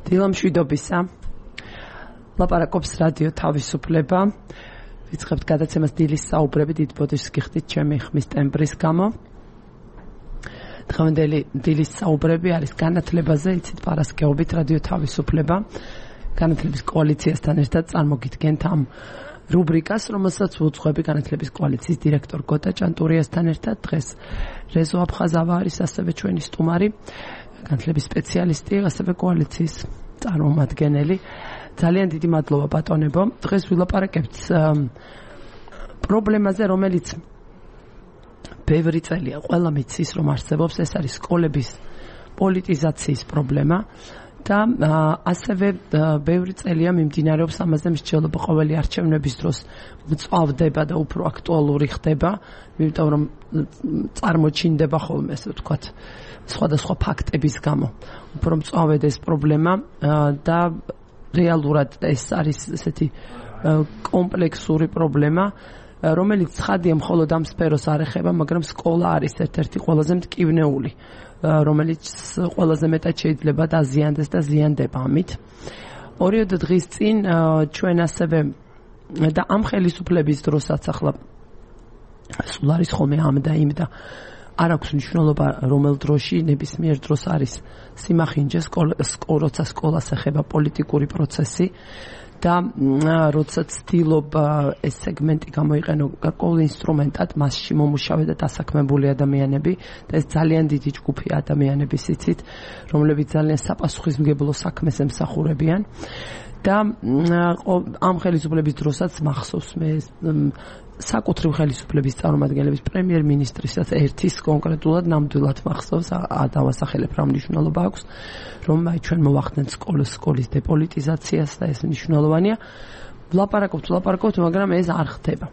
დილამშვიდობისა. ლაპარაკობს რადიო თავისუფლება. ვიწყებთ გადაცემას დილის საუბრები, დიდ ბოდიშს გიხდით ჩემი ხმის ტემბრის გამო. დღევანდელი დილის საუბრები არის განათლებაზე, იცით პარასკევობით რადიო თავისუფლება. განათლების კოალიციასთან ერთად წარმოგიდგენთ ამ რუბრიკას, რომელსაც ვუძღვები განათლების კოალიციის დირექტორ გოტა ჭანტურიასთან ერთად. დღეს რეზო აფხაზავა არის ასევე ჩვენი სტუმარი, განათლების სპეციალისტი, ასევე კოალიციის წარმომადგენელი. ძალიან დიდი მადლობა ბატონებო. დღეს ვილაპარაკებთ პრობლემაზე, რომელიც ბევრი წელია ყველა მიცის რომ არსებობს, ეს არის სკოლების პოლიტიზაციის პრობლემა და ასევე ბევრი წელია მიმდინარეობს ამაზე მსჯელობა ყოველი არჩევნების დროს მწვავდება და უფრო აქტუალური ხდება, იმიტომ რომ წარმოჩინდება ხოლმე, ასე ვთქვათ, სხვადასხვა ფაქტების გამო. უფრო მწვავედ ეს პრობლემა და რეალურად ეს არის ესეთი კომპლექსური პრობლემა, რომელიც ცხადია მხოლოდ ამ სფეროს არ ეხება, მაგრამ სკოლა არის ერთ-ერთი ყველაზე მტკივნეული, რომელიც ყველაზე მეტად შეიძლება დაზიანდეს და ზიანდება ამით. 2 დღის წინ ჩვენ ასევე და ამ ხელისუფლების დროსაც ახლა სულ არის ხოლმე ამ და იმ და არ აქვს მნიშვნელობა რომელ დროში, ნებისმიერ დროს არის სიმახინჯე, როცა სკოლას ეხება პოლიტიკური პროცესი და როცა ცდილობ ეს სეგმენტი გამოიყენო გარკვეულ ინსტრუმენტად, მასში მომუშავე და დასაქმებული ადამიანები და ეს ძალიან დიდი ჯგუფი ადამიანების იცით, რომლებიც ძალიან საპასუხისმგებლო საქმეს ემსახურებიან და ამ ხელისუფლების დროსაც მახსოვს მე საკუთრივ ხელისუფლების წარმომადგენლების პრემიერ-მინისტრისაც ერთის კონკრეტულად ნამდვილად მახსოვს, დავასახელებ რა მნიშვნელობა აქვს, რომ ჩვენ მოვახდენთ სკოლის დეპოლიტიზაციას და ეს მნიშვნელოვანია. ვლაპარაკობთ, მაგრამ ეს არ ხდება.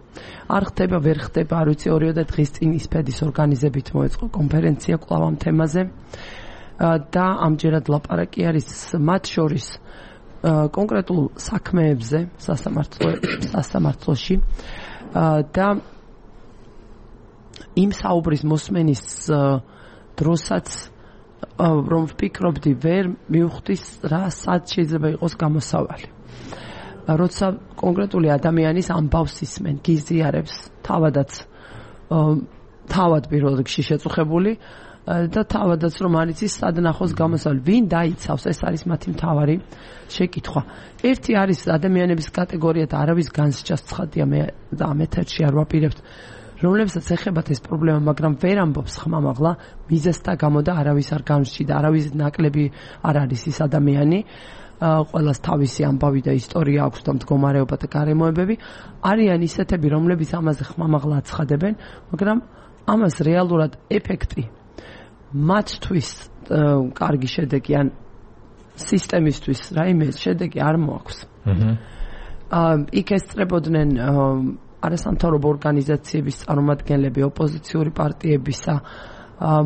ვერ ხდება, არ ვიცი, 2 დღის წინ ისფედის ორგანიზებით მოეწყო კონფერენცია კვლავ ამ თემაზე და ამჯერად ლაპარაკი არის მათ შორის კონკრეტულ საქმეებზე სასამართლოში და იმ საუბრის მოსმენის დროსაც რომ ვფიქრობდი, ვერ მივხვდი რა სად შეიძლება იყოს გამოსავალი. როცა კონკრეტული ადამიანის ამბავს ისმენ, გიზიარებს, თავად პირველ რიგში შეწუხებული და თავადაც რომ არ იცის სად ნახოს გამოსავალი, ვინ დაიცავს, ეს არის მათი მთავარი შეკითხვა. ერთი არის ადამიანების კატეგორია და არავის განსჯას ცხადია, მე და ამ ეთერში არ ვაპირებთ, რომლებსაც ეხებათ ეს პრობლემა, მაგრამ ვერ ამბობს ხმამაღლა მიზეზთა გამო და არავის არ განსჯი და არავის ნაკლები არ არის ის ადამიანი. ყველას თავისი ამბავი და ისტორია აქვს და მდგომარეობა და გარემოებები. არიან ისეთები, რომლებიც ამაზე ხმამაღლა აცხადებენ, მაგრამ ამას რეალურად ეფექტი მათთვის კარგი შედეგი ან სისტემისთვის რაიმე შედეგი არ მოაქვს. იქ ესწრებოდნენ არასამთავრობო ორგანიზაციების წარმომადგენლები, ოპოზიციური პარტიებისა,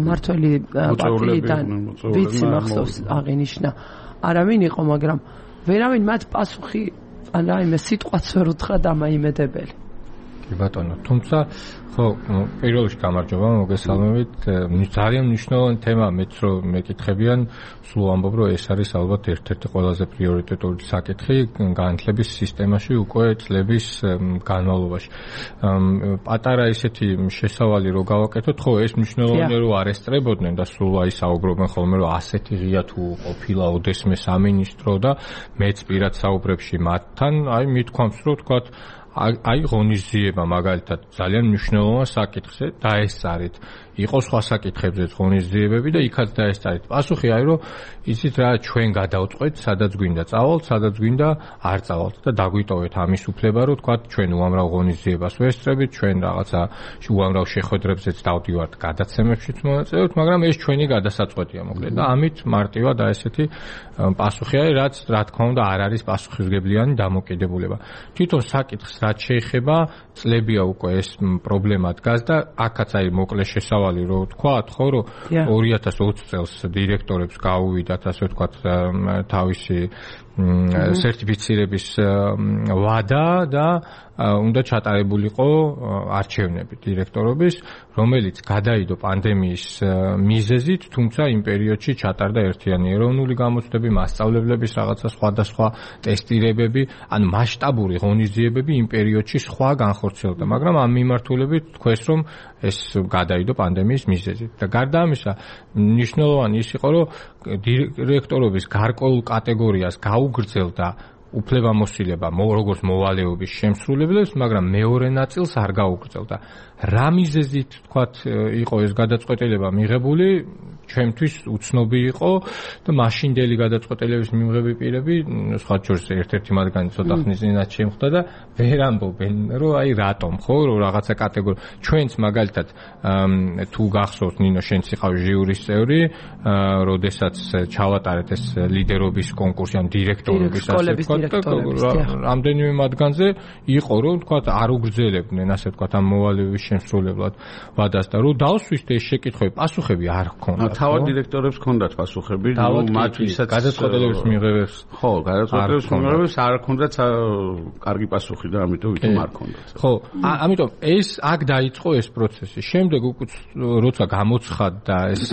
მართველი პარტიიდან, ვიცი მახსოვს აღინიშნა, არავინ იყო, მაგრამ ვერავინ მათ პასუხი ან რაიმე სიტყვაც ვერ უთხრა დამაიმედებელი. კი ბატონო, თუმცა ხო, პირველ რიგში გამარჯობა, მოგესალმებით. ძალიან მნიშვნელოვანი თემა, მეც რომ მეკითხებიან, სულ ამბობ, რომ ეს არის ალბათ ერთ-ერთი ყველაზე პრიორიტეტული საკითხი განათლების სისტემაში უკვე წლების განმავლობაში. პატარა ისეთი შესავალი რო გავაკეთოთ, ხო, ეს მნიშვნელოვანია, რომ არ ესწრებოდნენ და სულ აი საუბრობენ ხოლმე, რომ ასეთი ღია თუ ყოფილა ოდესმე სამინისტრო და მეც პირად საუბრებში მათთან, აი მithქვამს, რომ თქვათ აი ღონისძიება მაგალითად ძალიან მნიშვნელოვან საკითხზე დაესწარით. იყო სხვა საკითხებზე ღონისძიებები და იქაც დაესწარით. პასუხი არის, რომ იცით რა, ჩვენ გადავწყვეტ, სადაც გვინდა წავალთ, სადაც გვინდა არ წავალთ და დაგვიტოვეთ ამის უფლება, რომ თქვათ ჩვენ უამრავ ღონისძიებას ვესწრებით, ჩვენ რაღაცა უამრავ შეხვედრებზეც დავდივართ, გადაცემებშიც მონაწილეობთ, მაგრამ ეს ჩვენი გადასაწყვეტია მოკლედ და ამით მარტივად და ესეთი პასუხი არის, რაც რა თქმა უნდა არ არის პასუხისმგებლიანი დამოკიდებულება. თვითონ საკითხს რაც შეეხება, წლებია უკვე ეს პრობლემა დგას და აქაც არის მოკლე შესავალი, რომ თქვათ, ხო, რომ 2020 წელს დირექტორებს გაუვიდათ, ასე ვთქვათ, თავისი სერტიფიცირების ვადა და უნდა ჩატარებულიყო არჩევნები დირექტორობის, რომელიც გადაიდო პანდემიის მიზეზით, თუმცა იმ პერიოდში ჩატარდა ერთიანი ეროვნული გამოცდები, მასწავლებლების რაღაცა სხვადასხვა ტესტირებები, ან მასშტაბური ღონისძიებები იმ პერიოდში სხვა განხორციელდა, მაგრამ ამ მიმართულებით თქვეს, რომ ეს გადაიდო პანდემიის მიზეზით. და გარდა ამისა, მნიშვნელოვანი ის იყო, რომ დირექტორობის გარკვეულ კატეგორიას გაუგრძელდა უფლებამოსილება როგორც მოვალეობის შემსრულებლებს, მაგრამ მეორე ნაწილს არ გაუგრძელდა. რა მიზეზით თქვათ იყო ეს გადაწყვეტილება მიღებული, ჩვენთვის უცნობი იყო და მაშინდელი გადაწყვეტილების მიმღები პირები, სხვა შორის ერთ-ერთი მათგანი ცოტა ხნის წინათ შემხვდა და ვერ ამბობენ, რომ აი რატომ, ხო, რომ რაღაცა კატეგორია. ჩვენც მაგალითად თუ გახსოვთ, ნინო, შენც იყავ ჟიურის წევრი, როდესაც ჩავატარეთ ეს ლიდერობის კონკურსი, ან დირექტორობის ასე ვთქვათ, რამდენიმე მათგანზე იყო, რომ თქვათ არ უგრძელებდნენ, ასე ვთქვათ, ამ მოვალეობის შემსრულებლად ვადას და რომ დავსვით ეს შეკითხვები, პასუხები არ ჰქონდათ. თავად დირექტორებს ჰქონდათ პასუხები, მათ ვისაც გადაწყვეტილების მიღებებს. ხო, გადაწყვეტილების მიღებებს არ ჰქონდათ კარგი პასუხი და ამიტომ ვითომ არ ჰქონდათ. ხო, ამიტომ ეს აქ დაიწყო ეს პროცესი. შემდეგ უკვე როცა გამოცხადდა ეს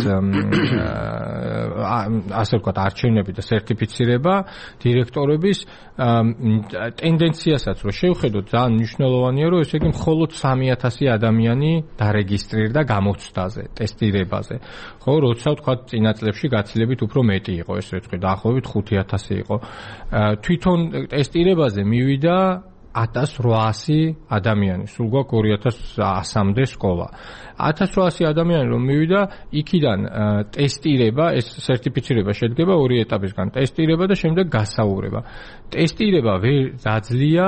ასე ვთქვათ არჩევნები და სერტიფიცირება დირექტორების, ტენდენციასაც რო შევხედოთ, ძალიან მნიშვნელოვანია, რომ ესე იგი მხოლოდ 3000 ადამიანი დარეგისტრირდა გამოცდაზე, ტესტირებაზე. ხო, როცა ვთქვათ წინა წლებში გაცილებით უფრო მეტი იყო ეს რიცხვი, დაახლოებით 5000 იყო. თვითონ ტესტირებაზე მივიდა 1800 ადამიანი, სულ გვაქვს 2100-მდე სკოლა. 1800 ადამიანი რომ მივიდა, იქიდან ტესტირება, ეს სერტიფიცირება შედგება ორი ეტაპისგან, ტესტირება და შემდეგ გასაუბრება. ტესტირება ვერ დაძლია,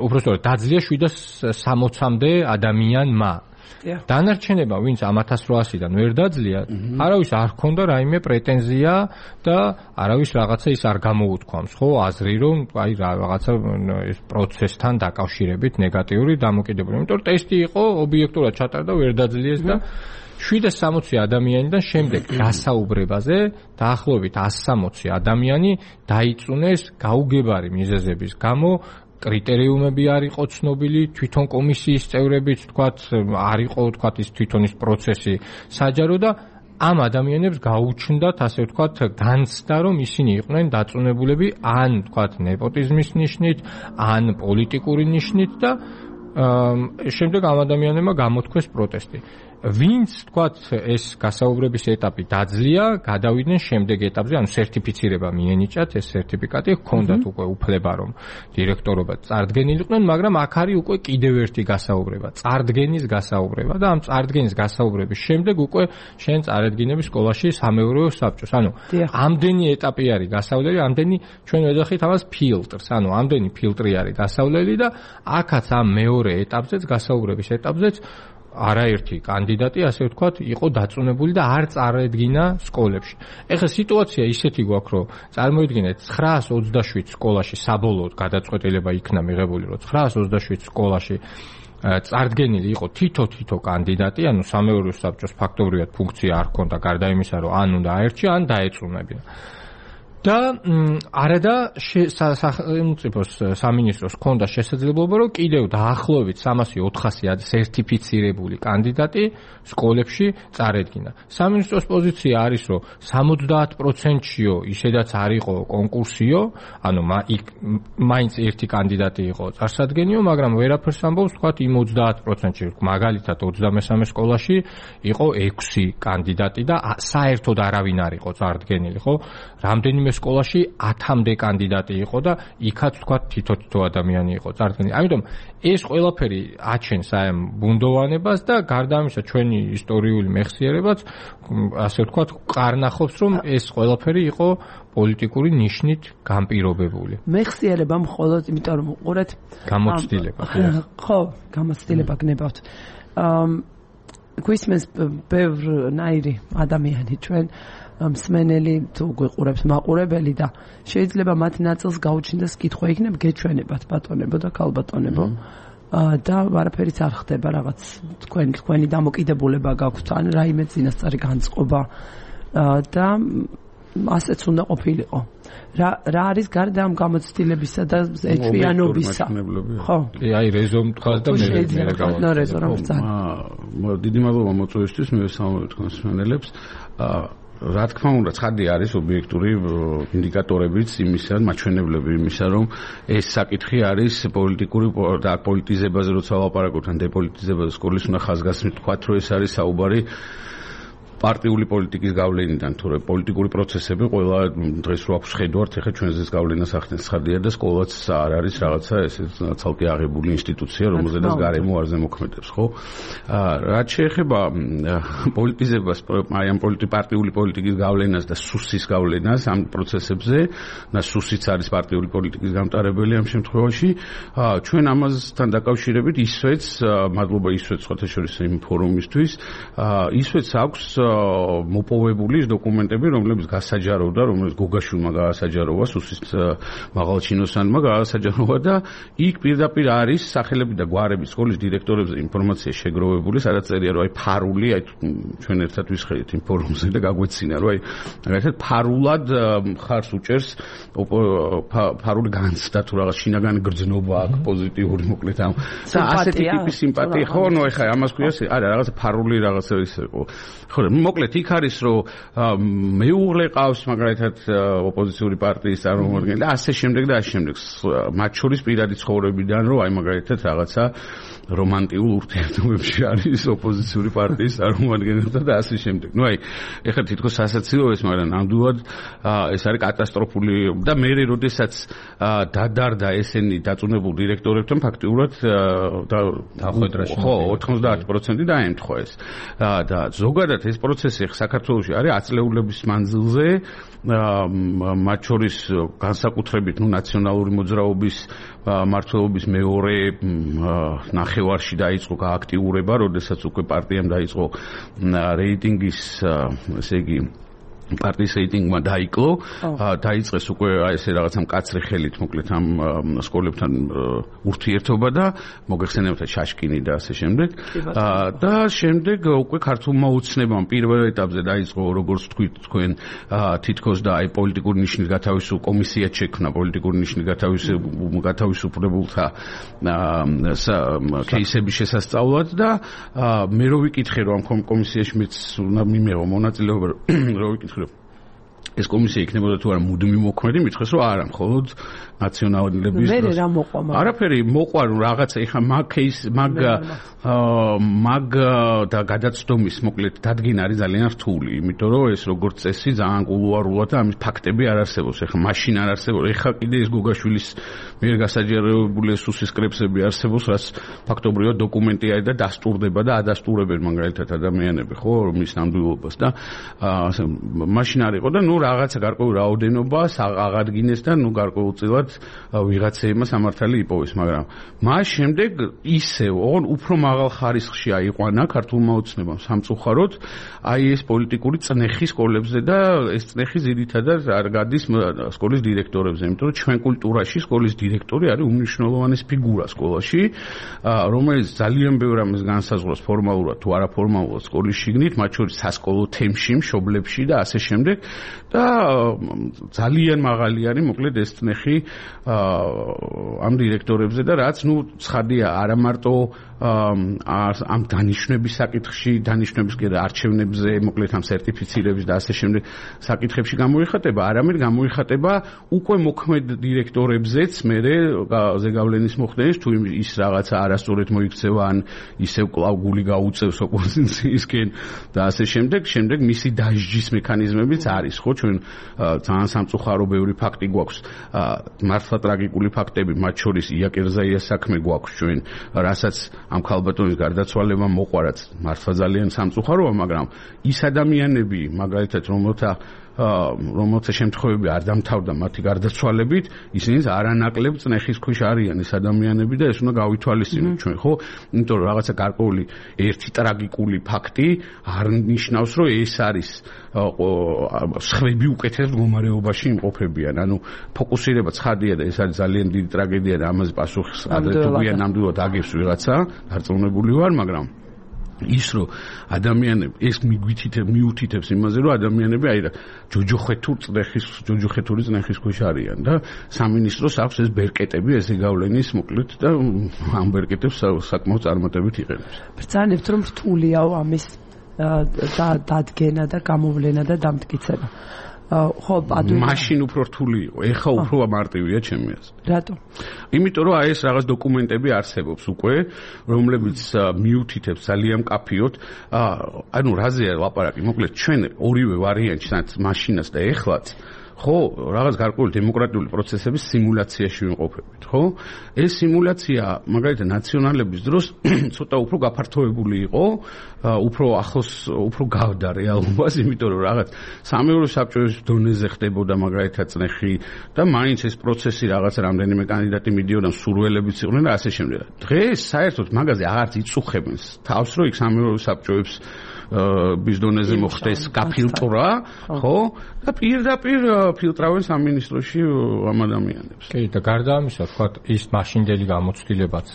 უпростоრად დაძლია 760-მდე ადამიანმა. დანარჩენება, ვინც ამ 1800-დან ვერ დაძლია, არავის არ ჰქონდა რაიმე პრეტენზია და არავის რაღაცა ის არ გამოუთქვამს, ხო, აზრი, რომ აი რაღაცა ეს პროცესთან დაკავშირებით ნეგატიური დამოკიდებულება. იმიტომ რომ ტესტი იყო, ობიექტურად ჩატარდა, ვერ დაძლიეს და 760 ადამიანიდან შემდეგ გასაუბრებაზე დაახლოებით 160 ადამიანი დაიწუნეს გაუგებარი მიზეზების გამო. კრიტერიუმები არ იყო ცნობილი, თვითონ კომისიის წევრებიც თქვათ, არ იყო თქვათ ის თვითონ ის პროცესი საჯარო და ამ ადამიანებს გაუჩნდათ, ასე ვთქვათ, განცდა, რომ ისინი იყვნენ დაწუნებულები ან თქვათ ნეპოტიზმის ნიშნით, ან პოლიტიკური ნიშნით და შემდეგ ამ ადამიანებმა გამოთქვეს პროტესტი. ვინც თქვათ ეს გასაუბრების ეტაპი დაძლია, გადავიდნენ შემდეგ ეტაპზე, ანუ სერტიფიცირება მიენიჭათ, ეს სერტიფიკატი ჰქონდათ უკვე უფლება, რომ დირექტორობა წარდგენილიყვნენ, მაგრამ აქ არის უკვე კიდევ ერთი გასაუბრება, წარდგენის გასაუბრება და ამ წარდგენის გასაუბრების შემდეგ უკვე შენ წარედგინები სკოლაში სამეურვეო საბჭოს. ანუ ამდენი ეტაპი არის გასავლელი, ამდენი ჩვენ ვეძახით ამას ფილტრს, ანუ ამდენი ფილტრი არის გასავლელი და აქაც ამ მეორე ეტაპზეც, გასაუბრების ეტაპზეც არაერთი კანდიდატი, ასე ვთქვათ, იყო დაწუნებული და არ წარედგინა სკოლებში. ეხლა სიტუაცია ისეთი გვაქვს, რომ წარმოიდგინეთ 927 სკოლაში საბოლოოდ გადაწყვეტილება იქნა მიღებული, რომ 927 სკოლაში წარდგენილი იყო თითო კანდიდატი, ანუ სამეურვეო საბჭოს ფაქტობრივად ფუნქცია არ ჰქონდა, გარდა იმისა, რომ ან უნდა აერჩია, ან დაეწუნებინა. და არადა სახელმწიფოს სამინისტროს ჰქონდა შესაძლებლობა, რომ კიდევ დაახლოებით 300-400 სერტიფიცირებული კანდიდატი სკოლებში წარედგინა. სამინისტროს პოზიცია არის, რომ 70%-იო ისედაც არ იყო კონკურსიო, ანუ მაინც ერთი კანდიდატი იყო წარსადგენიო, მაგრამ ვერაფერს ამბობს, თქვათ იმ 30%-ში, მაგალითად 23 სკოლაში იყო 6 კანდიდატი და საერთოდ არავინ არ იყო წარდგენილი, ხო? რამდენიმე სკოლაში 10-მდე კანდიდატი იყო და იქაც თქვათ თითო ადამიანი იყო წარდგენილი. ამიტომ ეს ყველაფერი აჩენს აი ამ ბუნდოვანებას და გარდა ამისა ჩვენი ისტორიული მეხსიერებაც ასე ვთქვათ ყარნახობს, რომ ეს ყველაფერი იყო პოლიტიკური ნიშნით განპირობებული. მეხსიერება მხოლოდ იმიტომ რომ უყურეთ გამოცდილება. ხო, გამოცდილება გნებავთ. გვისმენს ბევრნაირი ადამიანი ჩვენ მსმენელი თუ გვიყურებს მაყურებელი და შეიძლება მათ ნაწილს გაუჩნდეს კითხვა იქნებ გეჩვენებათ ბატონებო და ქალბატონებო და არაფერიც არ ხდება, რაღაც თქვენი დამოკიდებულება გაქვთ ან რაიმე წინასწარი განწყობა და ასეც უნდა ყოფილიყო. რა არის გარდა ამ გამოცდილებისა და ეჭვიანობისა? ხო. აი რეზომ თქვა და მე რეზო რა ვწარ. დიდი მადლობა მოწვევისთვის, მე ვესალმებ თქვენს მსმენელებს. რა თქმა უნდა, ცხადია არის ობიექტური ინდიკატორებიც იმისა, მაჩვენებლები იმისა, რომ ეს საკითხი არის პოლიტიკური და პოლიტიზებაზე როცა ვლაპარაკობთ, ან დეპოლიტიზებაზე სკოლის უნდა ხაზგასმით თქვა, რომ ეს არის საუბარი პარტიული პოლიტიკის გავლენიდან, თორე პოლიტიკური პროცესები ყველა დღეს რო აქვს ხედავთ, ეხლა ჩვენზეც გავლენას ახდენს ცხადია და სკოლაც არ არის რაღაცა ესე ცალკე აღებული ინსტიტუცია, რომელზედაც გარემო არ ზემოქმედებს, ხო? რაც შეეხება პოლიტიზებას, აი ამ პარტიული პოლიტიკის გავლენას და სუსის გავლენას ამ პროცესებზე, და სუსიც არის პარტიული პოლიტიკის გამტარებელი ამ შემთხვევაში, ჩვენ ამასთან დაკავშირებით ისვეც, მადლობა ისვეც სხვათა შორის იმ ფორუმისთვის, ისვეც აქვს მოპოვებული დოკუმენტები, რომლებიც გასაჯაროვდა, რომელიც გოგაშვილმა გაასაჯაროვა, სუსის მაღალჩინოსანმა გაასაჯაროვა და იქ პირდაპირ არის სახელები და გვარები სკოლის დირექტორებზე ინფორმაცია შეგროვებული, სადაც წერია, რომ აი ფარული, აი ჩვენ ერთად ვისხედით იმ ფორუმზე და გაგვეცინა, რომ აი მაგალითად ფარულად ხარს უჭერს ფარული განცდა თუ რაღაც შინაგანი გრძნობა აქვს პოზიტიური მოკლედ ამ და ასეთი ტიპის სიმპათია, ხო, ნუ ეხა ამას ქვია, არა რაღაც ფარული რაღაცა ის იყო. ხო, მოკლედ იქ არის რომ მეუღლე ყავს მაგალითად ოპოზიციური პარტიის წარმომადგენელი და ასე შემდეგ და ასე შემდეგ მათ შორის პირადი ცხოვრებიდან რომ აი მაგალითად რაღაცა რომანტიულ ურთიერთობებში არის ოპოზიციური პარტიის წარმომადგენელთან და ასე შემდეგ. ნუ აი ეხლა თითქოს ასაცილო ეს, მაგრამ ნამდვილად ეს არის კატასტროფული და მე როდესაც დადარდა ესენი დაწუნებულ დირექტორებთან ფაქტიურად ხო 90% დაემთხვა ეს და ზოგადად ეს პროცესი საქართველოში არის აწლეულების მანძილზე, მათ შორის განსაკუთრებით ნაციონალური მოძრაობის მმართველობის მეორე ნახევარში დაიწყო გააქტიურება, როდესაც უკვე პარტიამ დაიწყო რეიტინგის, ესე იგი პარტიის რეიტინგმა დაიკლო, დაიწყეს უკვე ესე რაღაცა მკაცრი ხელით მოკლედ ამ სკოლებთან ურთიერთობა და მოგეხსენებათ შაშკინი და ასე შემდეგ. და შემდეგ უკვე ქართულმა უცნებამ პირველ ეტაპზე დაიწყო, როგორც თქვით თქვენ, თითქოს და აი პოლიტიკური ნიშნის გათავისუფლ კომისია შექმნა, პოლიტიკური ნიშნის გათავისუფლებულთა კეისების შესასწავლად და მე რო ვიკითხე რომ ამ კომისიაში მეც უნდა მიმეღო მონაწილეობა, რო ვიკითხე ეს კომისია იქნებოდა თუ არა მუდმივი მოქმედი, მითხრეს რომ არა, მხოლოდ ნაციონალიზების დროს. რა მოყვა? არაფერი მოყვა, რაღაცა ეხა მაგ და გადაცდომის მოკლედ დადგენა არის ძალიან რთული, იმიტომ რომ ეს როგორც წესი ძალიან კულუარულად და ამის ფაქტები არ არსებობს. ეხა მაშინ არ არსებობს. ეხა კიდე ეს გოგაშვილის მიერ გასაჯაროებული სუსის კრებსები არსებობს, რაც ფაქტობრივად დოკუმენტი არის და დასტურდება და ადასტურებენ მაგალითად ადამიანები, ხო, მის ნამდვილობას და მაშინ არ იყო და ნუ რაღაცა გარკვეული რაოდენობა აღადგინეს და ნუ გარკვეულწილად ვიღაცეებმა სამართალი იპოვეს, მაგრამ მას შემდეგ ისევ ოღონ უფრო მაღალ ხარისხში აიყვანა ქართულმა ოცნებამ სამწუხაროდ აი ეს პოლიტიკური წნეხი სკოლებზე და ეს წნეხი ძირითადად არ გადის სკოლის დირექტორებზე, იმიტომ რომ ჩვენ კულტურაში სკოლის დირექტორი არის უმნიშვნელოვანესი ფიგურა სკოლაში, რომელიც ძალიან ბევრ ამას განსაზღვრავს ფორმალურად თუ არაფორმალურად სკოლის შიგნით, მათ შორის სასკოლო თემში, მშობლებში და ასე შემდეგ და ძალიან მაღალი არის მოკლედ ეს წნეხი ამ დირექტორებზე და რაც ნუ ცხადია არა მარტო ამ დანიშნების საკითხში, დანიშნების კიდე არჩევნებზე, მოკლედ ამ სერტიფიცირების და ასე შემდეგ საკითხებში გამოიხატება, არამედ გამოიხატება უკვე მოქმედ დირექტორებზეც მერე ზეგავლენის მოხდენის თუ ის რაღაცა არასწორად მოიქცევა ან ისევ კлау გული გაუწევს ოპოზიციისკენ და ასე შემდეგ მისი დასჯის მექანიზმებიც არის, ხო, ჩვენ ძალიან სამწუხარო ბევრი ფაქტი გვაქვს, მართლა ტრაგიკული ფაქტები, მათ შორის იაკერზაიას საქმე გვაქვს ჩვენ, რასაც ამ ქალბატონის გარდაცვალება მოყვარაც მართლა ძალიან სამწუხაროა, მაგრამ ის ადამიანები, მაგალითად, რომელთა შემთხვევები არ დამთავრდა მათი გარდაცვალებით, ისინიც არანაკლებ წნეხის ქვეშ არიან ეს ადამიანები და ეს უნდა გავითვალისწინოთ ჩვენ, ხო? იმიტომ რომ რაღაცა გარკვეული ერთი ტრაგიკული ფაქტი არ ნიშნავს, რომ ეს არის სხვები უკეთეს მდგომარეობაში იმყოფებიან. ანუ ფოკუსირება ცხადია და ეს არის ძალიან დიდი ტრაგედია და ამაზე პასუხს ადრე თუ გვიან ნამდვილად აგებს ვიღაცა, დარწმუნებული ვარ, მაგრამ ის რომ ადამიანები ეს მიუთითებს იმაზე რომ ადამიანები აი რა ჯოჯოხეთური წნეხის ქვეშ არიან და სამინისტროს აქვს ეს ბერკეტები ესე გავლენის მოკლედ და ამ ბერკეტებს საკმაოდ წარმატებით იყენებს. ბრძანებთ რომ რთულიაო ამის დადგენა და გამოვლენა და დამტკიცება. ხო, მაშინ უფრო რთული იყო, ეხა უფრო მარტივია ჩემი აზრით. რატო? იმიტომ რომ აი ეს რაღაც დოკუმენტები არსებობს უკვე, რომლებიც მიუთითებს ძალიან მკაფიოდ, ანუ რაზეა ლაპარაკი, მოკლედ ჩვენ ორივე ვარიანტს, მაშინას და ეხლაც ხო, რაღაც გარკვეული დემოკრატიული პროცესების სიმულაციაში ვიმყოფებით, ხო? ეს სიმულაცია, მაგალითად, ნაციონალების დროს ცოტა უფრო გაფართოებული იყო, უფრო ახლოს, უფრო გავდა რეალობას, იმიტომ რომ რაღაც სამეურვე საბჭოების დონეზე ხდებოდა მაგალითად წნეხი და მაინც ეს პროცესი რაღაც რამდენიმე კანდიდატი მიდიოდა, სურველებიც იყვნენ და ასე შემდეგ. დღეს საერთოდ მაგაზე აღარც იწუხებენ თავს, რომ იქ სამეურვე საბჭოების ბიზნესზე მოხდეს გაფილტრა, ხო? და პირდაპირ ფილტრავენ სამინისტროში ამ ადამიანებს. კი, და გარდა ამისა, თქვა, ის მაშინდელი გამოცდილებაც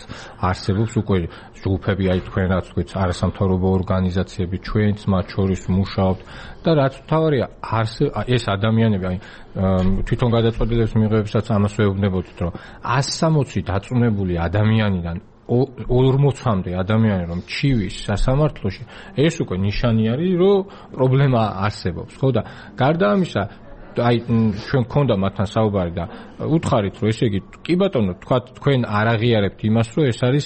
არსებობს უკვე ჯგუფები, აი თქვენაც თქვით, არასამთავრობო ორგანიზაციები, ჩვენც მათ შორის მუშაობთ და რაც თავარია, ეს ადამიანები, აი თვითონ გადაწყვეტილების მიღებებსაც ამას ვეუბნებოდით, რომ 160 დაწუნებული ადამიანიდან 40-მდე ადამიანი რომ ჩივის სასამართლოში, ეს უკვე ნიშანი არის, რომ პრობლემა არსებობს, ხო და გარდა ამისა, აი ჩვენ გქონდა მათთან საუბარი და უთხარით, რომ ესე იგი, კი ბატონო, თქვა თქვენ არ აღიარებთ იმას, რომ ეს არის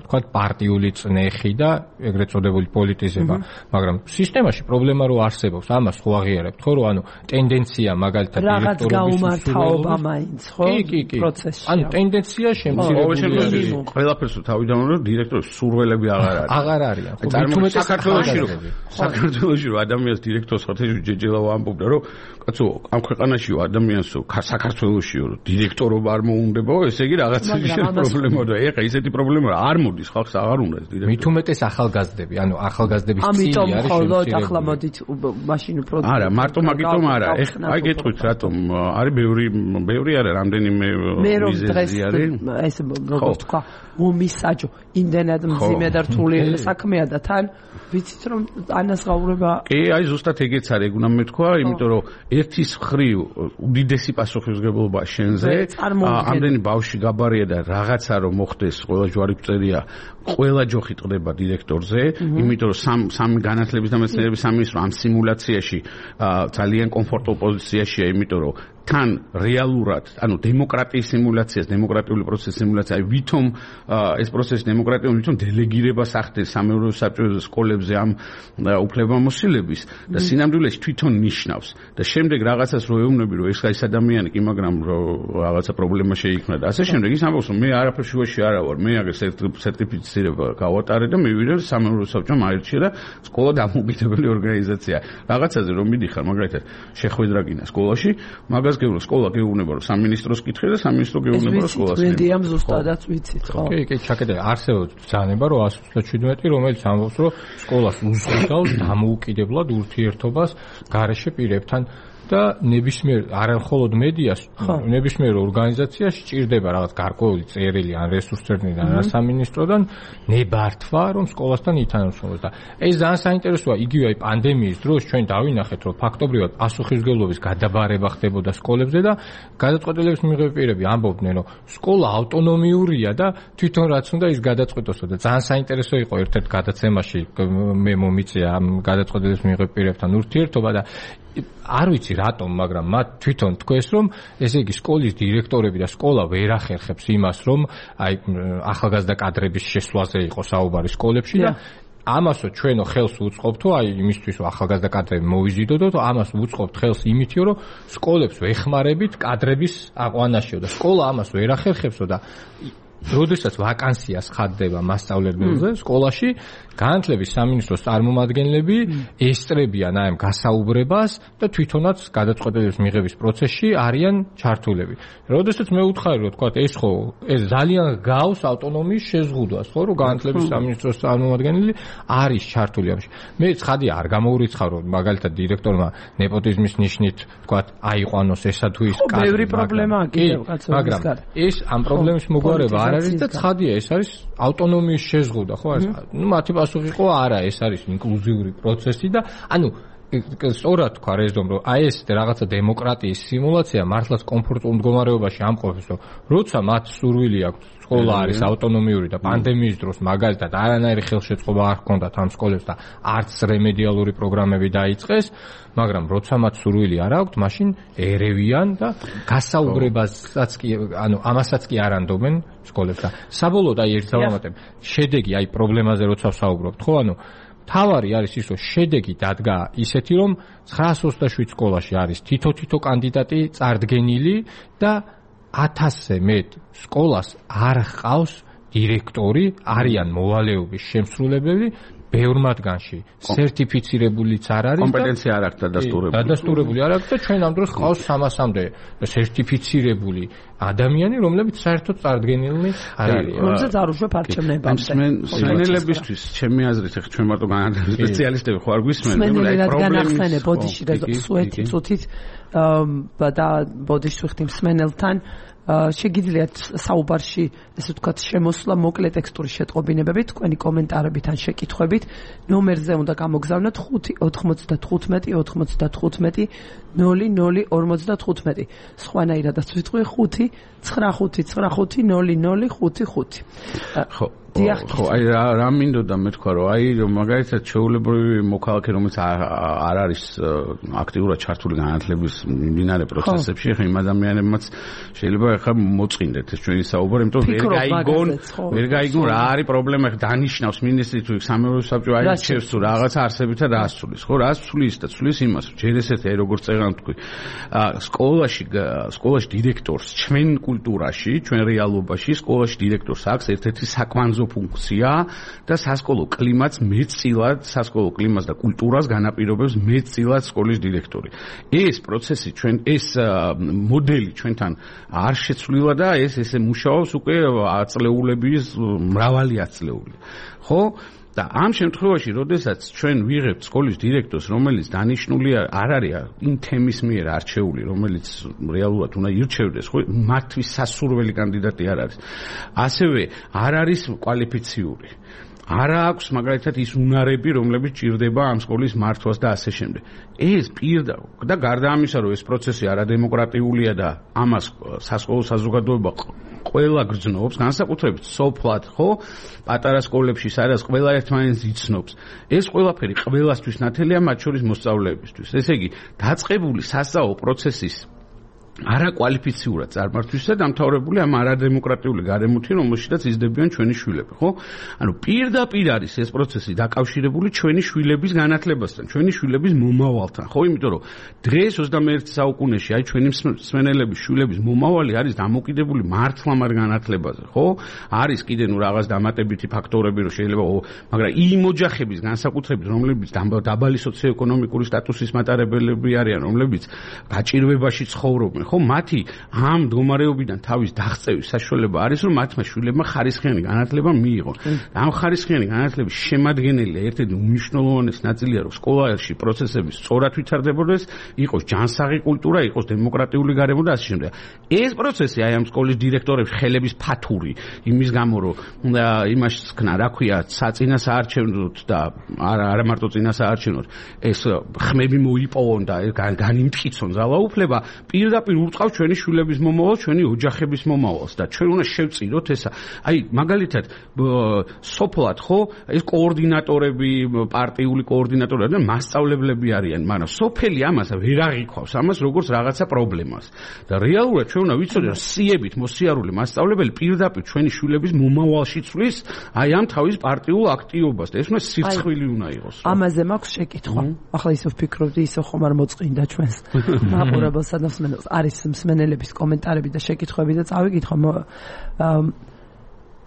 თქვა პარტიული წნეხი და ეგრეთ წოდებული პოლიტიზება, მაგრამ სისტემაში პრობლემა რო არსებობს, ამას ხო აღიარებთ, ხო, რომ ანუ ტენდენცია მაგალითად დირექტორობის გაუმართავობა მაინც, ხო? პროცესში. ანუ ტენდენცია შემცირებული. ყველაფერს თავიდან რომ დირექტორის სურველები აღარ არიან. საქართველოში რომ ადამიანს დირექტორს ხათეში ჯეჯელავა ამბობდა, რომ კაცო, ამ ქვეყანაში ადამიანს საქართველოშიო დირექტორობა არ მოუნდებაო, ესე იგი რაღაცა პრობლემაა და ეხა ისეთი პრობლემაა, არ მოდის ხალხს აღარ უნდა ეს დირექტორი. მით უმეტეს ახალგაზრდები, ანუ ახალგაზრდების წილი არის შემცირებული. ამიტომ ხოლმე ახლა მოდით მაშინ უფრო არა, მარტო მაგიტომ არა. ეხა აი გეტყვით რატომ არის ბევრი არა, რამდენიმე მიზეზი არის. ეს როგორც თქვა, მომისაჯო, იმდენად მძიმე და რთული საქმეა და თან ვიცით რომ ანაზღაურება კი, აი ზუსტად ეგეც არის, ეგ უნდა მეთქვა, იმიტომ რომ ერთის მხრივ უდიდესი პასუხისმგებლობა შენზე, ამდენი ბავშვი გაბარია და რაღაცა რომ მოხდეს, ყველა ჯვარი წერია, ყველა ჯოხი ტყდება დირექტორზე, იმიტომ რომ სამი განათლების და მეცნიერების სამინისტრო ამ სიმულაციაში ძალიან კომფორტულ პოზიციაშია, იმიტომ რომ თან რეალურად, ანუ დემოკრატიის სიმულაციას, დემოკრატიული პროცესის სიმულაცია, აი ვითომ ეს პროცესი დემოკრატიული ვითომ დელეგირებას ახდენს სამეურვეო საბჭოზე სკოლებზე ამ უფლებამოსილების და სინამდვილეში თვითონ ნიშნავს და შემდეგ რაღაცას რო ეუბნები, რომ ეს ადამიანი კი, მაგრამ რაღაცა პრობლემა შეიქმნა და ასე შემდეგ, ის ამბობს, რომ მე არაფერ შუაში არა ვარ, მე აგერ სერტიფიცირება გავატარე და მივიდე სამეურვეო საბჭომ აირჩია და სკოლა დამოუკიდებელი ორგანიზაცია. რაღაცაზე რომ მიდიხარ, მაგალითად, შეხვედრა გინდა სკოლაში, მაგას სკოლა გეუბნება რომ სამინისტროს კითხე და სამინისტრო გეუბნება რომ სკოლას. ეს ვიცით, ზუსტადაც ვიცით, ხო? კი, ჩაკეტე, არსებობს ბრძანება რომ 127, რომელიც ამბობს რომ სკოლას უზღუდავს დამოუკიდებლად ურთიერთობას გარეშე პირებთან და ნებისმიერ არამხოლოდ მედიას, ნებისმიერ ორგანიზაციაში ჭირდება რაღაც გარკვეული წერილი ან რესურსებიდან ან სამინისტროდან ნებართვა, რომ სკოლასთან ითანამშრომლოს და ეს ძალიან საინტერესოა, იგივე აი პანდემიის დროს ჩვენ დავინახეთ, რომ ფაქტობრივად პასუხისმგებლობის გადაბარება ხდებოდა სკოლებზე და გადაწყვეტილების მიღები პირები ამბობდნენ, რომ სკოლა ავტონომიურია და თვითონ რაც უნდა ის გადაწყვეტოსო და ძალიან საინტერესო იყო ერთ-ერთ გადაცემაში მე მომიწია ამ გადაწყვეტილების მიღები პირებთან ურთიერთობა და არ ვიცი რატომ, მაგრამ მათ თვითონ თქვეს, რომ ესე იგი სკოლის დირექტორები და სკოლა ვერ ახერხებს იმას, რომ აი ახალგაზრდა კადრების შესვლაზე იყო საუბარი სკოლებში და ამასო ჩვენო ხელს უწყობთო, აი იმისთვის რომ ახალგაზრდა კადრები მოვიზიდოდოთ, ამას უწყობთ ხელს იმითო, რომ სკოლებს ვეხმარებით კადრების აყვანაშიო და სკოლა ამას ვერ ახერხებსო და როდესაც ვაკანსიას ხადდება მასწავლებელზე სკოლაში, განათლების სამინისტროს წარმომადგენლები ესწრებიან აი ამ გასაუბრებას და თვითონაც გადაწყვეტილების მიღების პროცესში არიან ჩართულები. როდესაც მე უთხარი რომ თქვა ეს ხო ეს ძალიან გავს ავტონომიის შეზღუდვას, ხო, რომ განათლების სამინისტროს წარმომადგენელი არის ჩართული ამაში. მე ცხადი არ გამოურიცხავ რომ მაგალითად დირექტორმა ნეპოტიზმის ნიშნით თქვა აიყვანოს ესა თუ ის კადრი. ბევრი პრობლემაა კიდევ კაცო. მაგრამ ეს ამ პრობლემის მოგვარება არ არის და ცხადია ეს არის ავტონომიის შეზღუდა ხო არის ნუ მათი პასუხი იყო არა ეს არის ინკლუზიური პროცესი და ანუ სწორად თქვა რეზდომ რომ აი ეს რაღაცა დემოკრატიის სიმულაცია მართლაც კომფორტულ მდგომარეობაში ამყოფებს რომ როცა მათ სურვილი აქვს სკოლა არის ავტონომიური და პანდემიის დროს მაგალითად არანაირი ხელშეწყობა არ ჰქონდათ ამ სკოლებს და არც რემედიალური პროგრამები დაიწყეს მაგრამ როცა მათ სურვილი არ აქვთ მაშინ ერევიან და გასაუბრებასაც კი ანუ ამასაც კი არ ანდობენ სკოლებს და საბოლოოდ აი ერთ დავამატებ შედეგი აი პრობლემაზე როცა ვსაუბრობთ ხო ანუ თავარი არის ის რომ შედეგი დადგა ისეთი რომ 927 სკოლაში არის თითო კანდიდატი წარდგენილი და 1000-ზე მეტ სკოლას არ ჰყავს დირექტორი არიან მოვალეობის შემსრულებლები ბევრ მათგანში სერტიფიცირებულიც არ არის კომპეტენცია არ აქვს დადასტურებული არ აქვს და ჩვენ ამ დროს ყავს 300-მდე სერტიფიცირებული ადამიანი რომლებიც საერთოდ წარდგენილნი არ არიან რომელსაც არ უშვებ არჩევნებამდე მსმენელებისთვის ჩემი აზრით ახლა ჩვენ მარტო განათლების სპეციალისტები ხო არ გვისმენთ აი პრობლემის ბოდიში და სუეთი წუთით და ბოდიში ვიხდი მსმენელთან შეგიძლიათ საუბარში ესე ვთქვათ შემოსვლა მოკლე ტექსტური შეტყობინებებით თქვენი კომენტარებით ან შეკითხვებით ნომერზე უნდა გამოგზავნოთ 5 95 00 სხვანაირადაც ვიტყვი 5 95 ხო ხო აი რა მინდოდა მე თქვა რომ აი მაგალითად ჩვეულებრივი მოქალაქე რომელიც არ არის აქტიურად ჩართული განათლების მიმდინარე პროცესებში ხა იმ ადამიანებმაც შეიძლება ხა მოწყინდეთ ეს ჩვენი საუბარი იმიტომ ვერ გაიგონ რა არის პრობლემა ხა დანიშნავს მინისტრი თუ სამეურნეო საბჭო აირჩევს თუ რაღაცა არსებითა და ასწulis ხო რას ცulis და ცulis იმას ჯერ ესეთი აი როგორც წერან თქვი სკოლაში დირექტორს ჩვენ კულტურაში ჩვენ რეალობაში სკოლაში დირექტორს აქვს ერთ-ერთი საკვანძო ფუნქცია და სასკოლო კლიმატს მეტწილად სასკოლო კლიმატს და კულტურას განაპირობებს მეტწილად სკოლის დირექტორი. ეს პროცესი ჩვენ ეს მოდელი ჩვენთან არ შეცვლილა და ესე მუშაობს უკვე აწლეულების მრავალი აწლეული. ხო? და ამ შემთხვევაში, როდესაც ჩვენ ვიღებთ სკოლის დირექტორს, რომელიც დანიშნული არ არის იმ თემის მიერ არჩეული, რომელიც რეალურად უნდა ირჩევდეს, ხო, მათთვის სასურველი კანდიდატი არ არის. ასევე არ არის კვალიფიციური. არ აქვს მაგალითად ის უნარები, რომლებიც ჭირდება ამ სკოლის მართვას და ასე შემდეგ. ეს პირდაპირ და გარდა ამისა, რომ ეს პროცესი არადემოკრატიულია და ამას სასკოლო საზოგადოება ყველა გრძნობს, განსაკუთრებით სოფლად, ხო? პატარა სკოლებში, სადაც ყველა ერთმანეთს იცნობს. ეს ყველაფერი ყველასთვის ნათელია, მათ შორის მოსწავლეებისთვის. ესე იგი, დაწყებული სასწავლო პროცესის არაკვალიფიციურად წარმართვისა დამთავრებული ამ არადემოკრატიული გარემოთი, რომელშიც იზრდებიან ჩვენი შვილები, ხო? ანუ პირდაპირ არის ეს პროცესი დაკავშირებული ჩვენი შვილების განათლებასთან, ჩვენი შვილების მომავალთან, ხო? იმიტომ რომ დღეს 21 საუკუნეში აი ჩვენი მსმენელების შვილების მომავალი არის დამოკიდებული მართლა მათ განათლებაზე, ხო? არის კიდე ნუ რაღაც დამატებითი ფაქტორები, რომ შეიძლება, მაგრამ იმ ოჯახების განსაკუთრებით, რომლებიც დაბალი სოციოეკონომიკური სტატუსის მატარებლები არიან, რომლებიც გაჭირვებაში ცხოვრობენ, ხო მათი ამ მდგომარეობიდან თავის დაღწევის საშუალება არის რომ მათმა შვილებმა ხარისხიანი განათლება მიიღონ. ამ ხარისხიანი განათლების შემადგენელი ერთ-ერთი უმნიშვნელოვანესი ნაწილია რომ სკოლაში პროცესები სწორად ვითარდებოდეს, იყოს ჯანსაღი კულტურა, იყოს დემოკრატიული გარემო და ასე შემდეგ. ეს პროცესი აი ამ სკოლის დირექტორების ხელების ფათური იმის გამო რომ იმაში ხნა რა ქვია საწინა საარჩევნოდ და არა მარტო წინა საარჩევნოდ ეს ხმები მოიპოვონ და განიმტკიცონ ძალაუფლება პირდაპირ უწყავს ჩვენი შვილების მომავალს, ჩვენი ოჯახების მომავალს და ჩვენ უნდა შევწიროთ ესა. აი, მაგალითად, სოფლად ხო, ეს კოორდინატორები, პარტიული კოორდინატორები და მასწავლებლები არიან, მაგრამ სოფელი ამას ვერ აღიქვავს, ამას როგორც რაღაცა პრობლემას. და რეალურად ჩვენ უნდა ვიცოდეთ, რომ სიებით მოსიარული მასწავლებელი პირდაპირ ჩვენი შვილების მომავალში ცვლის აი ამ თავის პარტიულ აქტივობას და ეს უნდა სირცხვილი უნდა იყოს. ამაზე მაქვს შეკითხვა. ახლა ისე ვფიქრობდი, ისე ხომ არ მოწყინდა ჩვენს მაყურებელს და მსმენელს. არის მსმენელების კომენტარები და შეკითხვები და წავიკითხო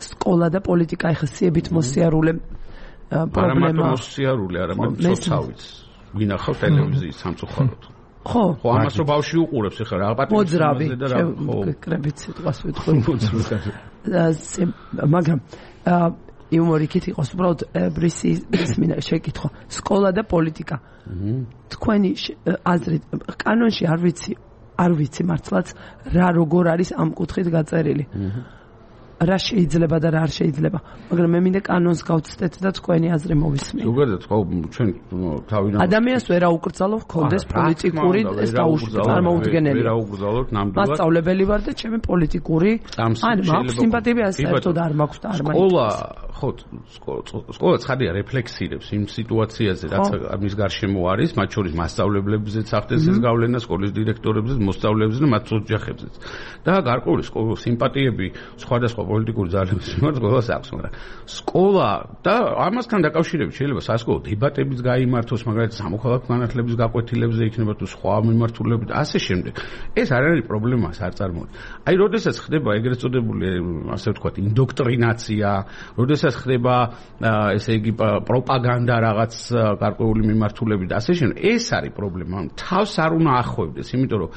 სკოლა და პოლიტიკა ეხლა სიებით მოსიარულე პრობლემა. არა მარტო მოსიარული, არამედ სოცავიც. ვინახავ ტელევიზიის სამწუხაროდ. ხო, ამას რო ბავშვი უყურებს ეხლა რა პატივისცემაზე და რა კრებით სიტყვას ვიტყვი. მაგრამ იუმორიკით იყოს უბრალოდ ბრისის მინა შეკითხვა. სკოლა და პოლიტიკა. თქვენი აზრით კანონში არ ვიცი მართლაც რა როგორ არის ამ კუთხით გაწერილი. რა შეიძლება და რა არ შეიძლება, მაგრამ მე მინდა კანონს გავცდეთ და თქვენი აზრი მოვისმინე. ზოგადად ხო ჩვენ თავიდან ადამიანს ვერ აუკრძალო ხონდეს პოლიტიკური ეს წარმოუდგენელი. ვერ აუკრძალოთ ნამდვილად. მასწავლებელი ვარ და ჩემი პოლიტიკური მაქვს სიმპათიები საერთოდ არ მაქვს და არ მაქვს. სკოლა ცხადია რეფლექსირებს იმ სიტუაციაზე რაც მის გარშემო არის, მათ შორის მასწავლებლებზეც ახდენს ეს გავლენა, სკოლის დირექტორებზეც, მოსწავლეებზეც და მათ ოჯახებზეც. და გარკვეული სიმპათიები სხვადასხვა პოლიტიკური ძალების მიმართ ყველას აქვს, მაგრამ სკოლა და ამასთან დაკავშირებით შეიძლება სასკოლო დებატებიც გაიმართოს, მაგალითად სამოქალაქო განათლების გაკვეთილებზე იქნება თუ სხვა მიმართულებით და ასე შემდეგ. ეს არ არის პრობლემა, არ წარმოუდგენელია. აი, როდესაც ხდება ეგრეთ წოდებული, ასე ვთქვათ, ინდოქტრინაცია, როდესაც ხდება ესე იგი პროპაგანდა რაღაც გარკვეული მიმართულებით და ასე შემდეგ, ეს არის პრობლემა. თავს არ უნდა ახვევდეს, იმიტომ რომ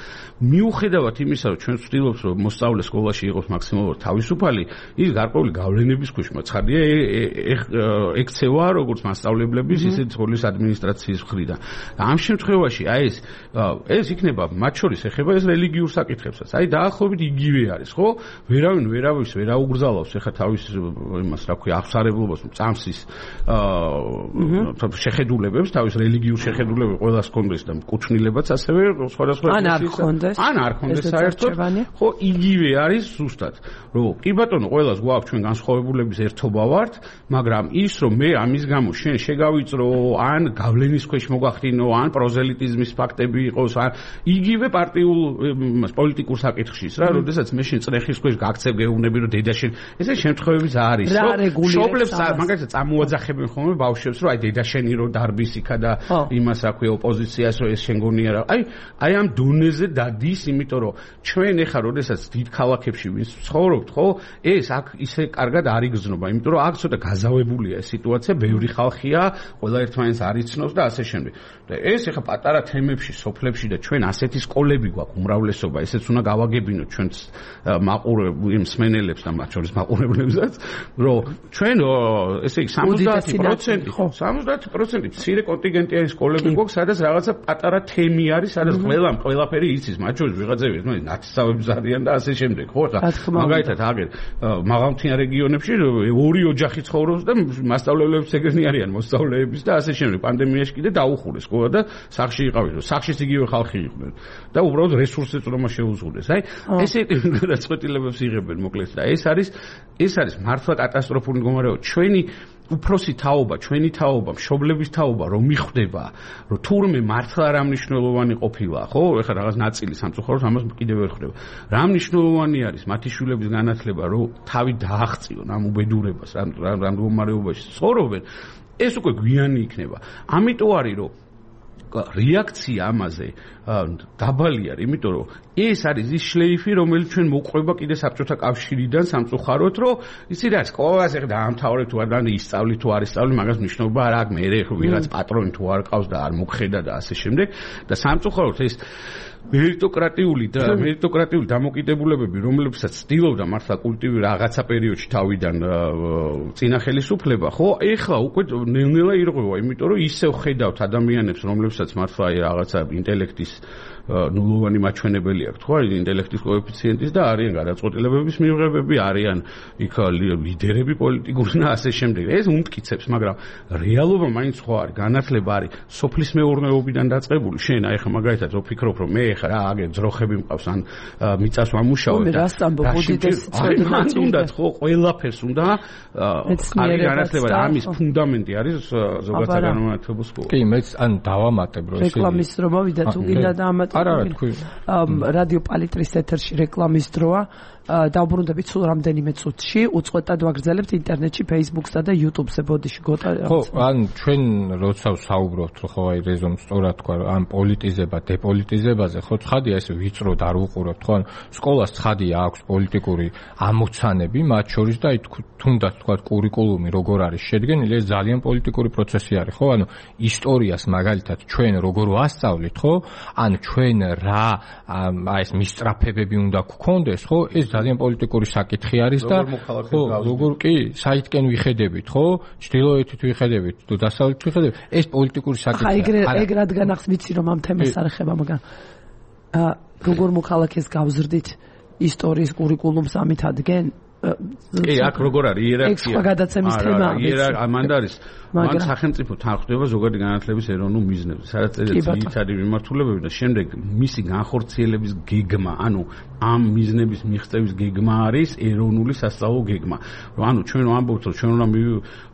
მიუხედავად იმისა, რომ ჩვენ ვცდილობთ, რომ მოსწავლე სკოლაში იყოს მაქსიმალურად თავისუფალი, ის გარკვეული გავლენების ქვეშ მოცხადია ექცევა როგორც მასწავლებლების, ისე სკოლის ადმინისტრაციის მხრიდან. ამ შემთხვევაში აი ეს იქნება მათ შორის ეხება ეს რელიგიურ საკითხებსაც. აი დაახლოებით იგივე არის, ხო? ვერავინ ვერავის ვერ აუგრძალავს ეხა თავის იმას, რა ქვია, აღსარებლობას, წამსის შეხედულებებს, თავის რელიგიურ შეხედულებებს ყველას კონდეს და კუთვნილებაც ასევე სხვადასხვა ან არ კონდეს საერთოდ, ხო, იგივე არის ზუსტად, რომ კი ბატონო, ყველას გვაქვს ჩვენ განსხვავებულების ერთობა ვართ, მაგრამ ის რომ მე ამის გამო შენ შეგავიწრო, ან გავლენის ქვეშ მოგახდინო, ან პროზელიტიზმის ფაქტები იყოს, ან იგივე პარტიულ პოლიტიკურ საკითხშიც რა, როდესაც მე შენ წრეხის ქვეშ გაქცევ გეუბნები, რომ დედა შენ, ესე შემთხვევებიც არის, რომ შობლებს მაგალითად წამოაძახებენ ხოლმე ბავშვებს, რომ აი დედა შენი რო დარბის იქა და იმას რა ქვია ოპოზიციას რომ ეს შენ გონია რა. აი ამ დონეზე დადის, იმიტომ რომ ჩვენ ეხა როდესაც დიდ ქალაქებში ვინც ცხოვრობთ, ხო, ეს აქ ისე კარგად არ იგრძნობა, იმიტომ რომ აქ ცოტა გაზავებულია ეს სიტუაცია, ბევრი ხალხია, ყველა ერთმანეთს არ იცნობს და ასე შემდეგ. და ეს ეხა პატარა თემებში, სოფლებში და ჩვენ ასეთი სკოლები გვაქვს უმრავლესობა, ესეც უნდა გავაგებინოთ ჩვენს მსმენელებს და მათ შორის მაყურებლებსაც, რომ ჩვენ ესე იგი 70% მცირე კონტინგენტიანი სკოლები გვაქვს, სადაც რაღაცა პატარა თემი არის, სადაც ყველაფერი იცის, მათ შორის ვიღაცები ნათესავებს არიან და ასე შემდეგ, ხო? მაგალითად აგერ მაღალმთიან რეგიონებში ორი ოჯახი ცხოვრობს და მასწავლებლებს ეგრენი არიან მოსწავლეების და ასე შემდეგ. პანდემიაში კიდე დაუხურეს სკოლა და სახში იყავით, სახშიც იგივე ხალხი იყვნენ და უბრალოდ რესურსებს რომ შეუზღუდეს. აი, ესეთი გადაწყვეტილებებს იღებენ მოკლედ და ეს არის მართლა კატასტროფული მდგომარეობა. ჩვენი უფროსი თაობა, ჩვენი თაობა, მშობლების თაობა რომ მიხვდება, რომ თურმე მართლა რა მნიშვნელოვანი ყოფილა, ხო? ეხლა რაღაც ნაწილი სამწუხაროდ ამას კიდევ ვერ ხვდება. რა მნიშვნელოვანი არის მათი შვილების განათლება, რომ თავი დააღწიონ ამ უბედურებას, ამ მდგომარეობაში ცხოვრობენ, ეს უკვე გვიანი იქნება. ამიტომ არის რომ რეაქცია ამაზე დაბალი არის, იმიტომ რომ ეს არის ის შლეიფი, რომელიც ჩვენ მოყვება კიდე საბჭოთა კავშირიდან სამწუხაროდ, რომ იცი რა, სკოლას ეხლა დაამთავრე თუ არ ისწავლი თუ არ ისწავლი, მაგას მნიშვნელობა არ აქვს, მე ვიღაც პატრონი თუ არ ყავს და არ მოგხედა და ასე შემდეგ და სამწუხაროდ ეს მერიტოკრატიული დამოკიდებულებები, რომლებსაც ცდილობდა მართლა კულტივი რაღაცა პერიოდში თავიდან წინა ხელისუფლება, ხო, ეხლა უკვე ნელ-ნელა ირღვევა, იმიტომ რომ ისევ ხედავთ ადამიანებს, რომლებსაც მართლა რაღაცა ინტელექტის ნულოვანი მაჩვენებელი აქვს, ხო, ინტელექტის კოეფიციენტის და არიან გადაწყვეტილებების მიღებები, არიან იქ ლიდერები პოლიტიკური და ასე შემდეგ. ეს უმტკიცებს, მაგრამ რეალობა მაინც ხო არის, განათლება არის სოფლის მეურნეობიდან დაწყებული. შენ აი ხა მაგალითად ვფიქრობ, რომ მე ხა რა აგერ ძროხები მყავს ან მიწას ვამუშავებ და უნდათ ხო ყველაფერს უნდა კარგი განათლება და ამის ფუნდამენტი არის ზოგადსაგანმანათლებლო სკოლა. კი, მეც ან დავამატებ რომ რეკლამის დრო მოვიდა თუ გინდა დაამატებ. რადიო პალიტრის ეთერში რეკლამის დროა. დავბრუნდებით სულ რამდენიმე წუთში, უწყვეტად ვაგრძელებთ ინტერნეტში, Facebook-სა და YouTube-ზე ბოდიში გოტა. ხო, ან ჩვენ როცა ვსაუბრობთ, ხო, აი რეზომ სწორად თქვა, ან პოლიტიზება, დეპოლიტიზებაზე, ხო, ცხადია ეს ვიწროდ არ უყურებთ, ხო, ან სკოლას ცხადია აქვს პოლიტიკური ამოცანები, მათ შორის და აი თუნდაც თქვა კურიკულუმი როგორ არის შედგენილი, ეს ძალიან პოლიტიკური პროცესი არის, ხო, ანუ ისტორიას მაგალითად ჩვენ როგორ ვასწავლით, ხო, ან ჩვენ რა აი ეს მისწრაფებები უნდა გქონდეს, ხო, ეს ძალიან პოლიტიკური საკითხი არის და ხო, როგორ კი, საითკენ ვიხედებით, ხო? ჩრდილოეთით ვიხედებით, თუ დასავლეთით ვიხედებით, ეს პოლიტიკური საკითხია. ეგ რადგან ახს ვიცი რომ ამ თემას არ ეხება, მაგრამ როგორ მოქალაქეს გავზრდით ისტორიის კურიკულუმს ამით ადგენს კი, აქ როგორ არის იერარქია? ეს გადაცემის თემაა. მან არის მან სახელმწიფო თანხმდება ზოგადი განათლების ეროვნულ მიზნებზე, სადაც ძირითადი მიმართულებები და შემდეგ მისი განხორციელების გეგმა, ანუ ამ მიზნების მიღწევის გეგმა არის ეროვნული სასწავლო გეგმა. ანუ ჩვენ ვამბობთ, რომ ჩვენ უნდა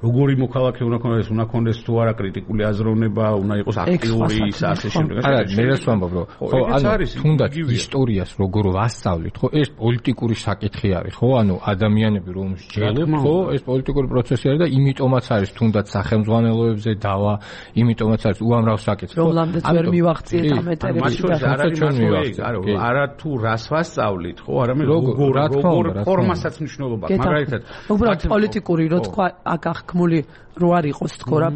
როგორი მოქალაქე უნდა ქონდეს თუ არა კრიტიკული აზროვნება, უნდა იყოს აქტიური ის ასე შემდეგ. არა, მე რას ვამბობ, რომ ხო, ანუ თუნდაც ისტორიას როგორ ვასწავლით, ხო, ეს პოლიტიკური საკითხი არის, ხო, ანუ ადამიანები რომ შეძლოთ, ხო, ეს პოლიტიკური პროცესი არის და იმიტომაც არის თუნდაც ხელმძღვანელოებზე დავა, იმიტომაც არის უამრავ საკითხი. რომ ლამდეც ვერ მივახციეთ ამ ეტერებში და არა თუ რას ვასწავლით, ხო, არამედ როგორ ფორმასაც მნიშვნელობა, მაგალითად, უბრალოდ პოლიტიკური, რო თქვა, აქ აღქმული რო არ იყოს თქო რა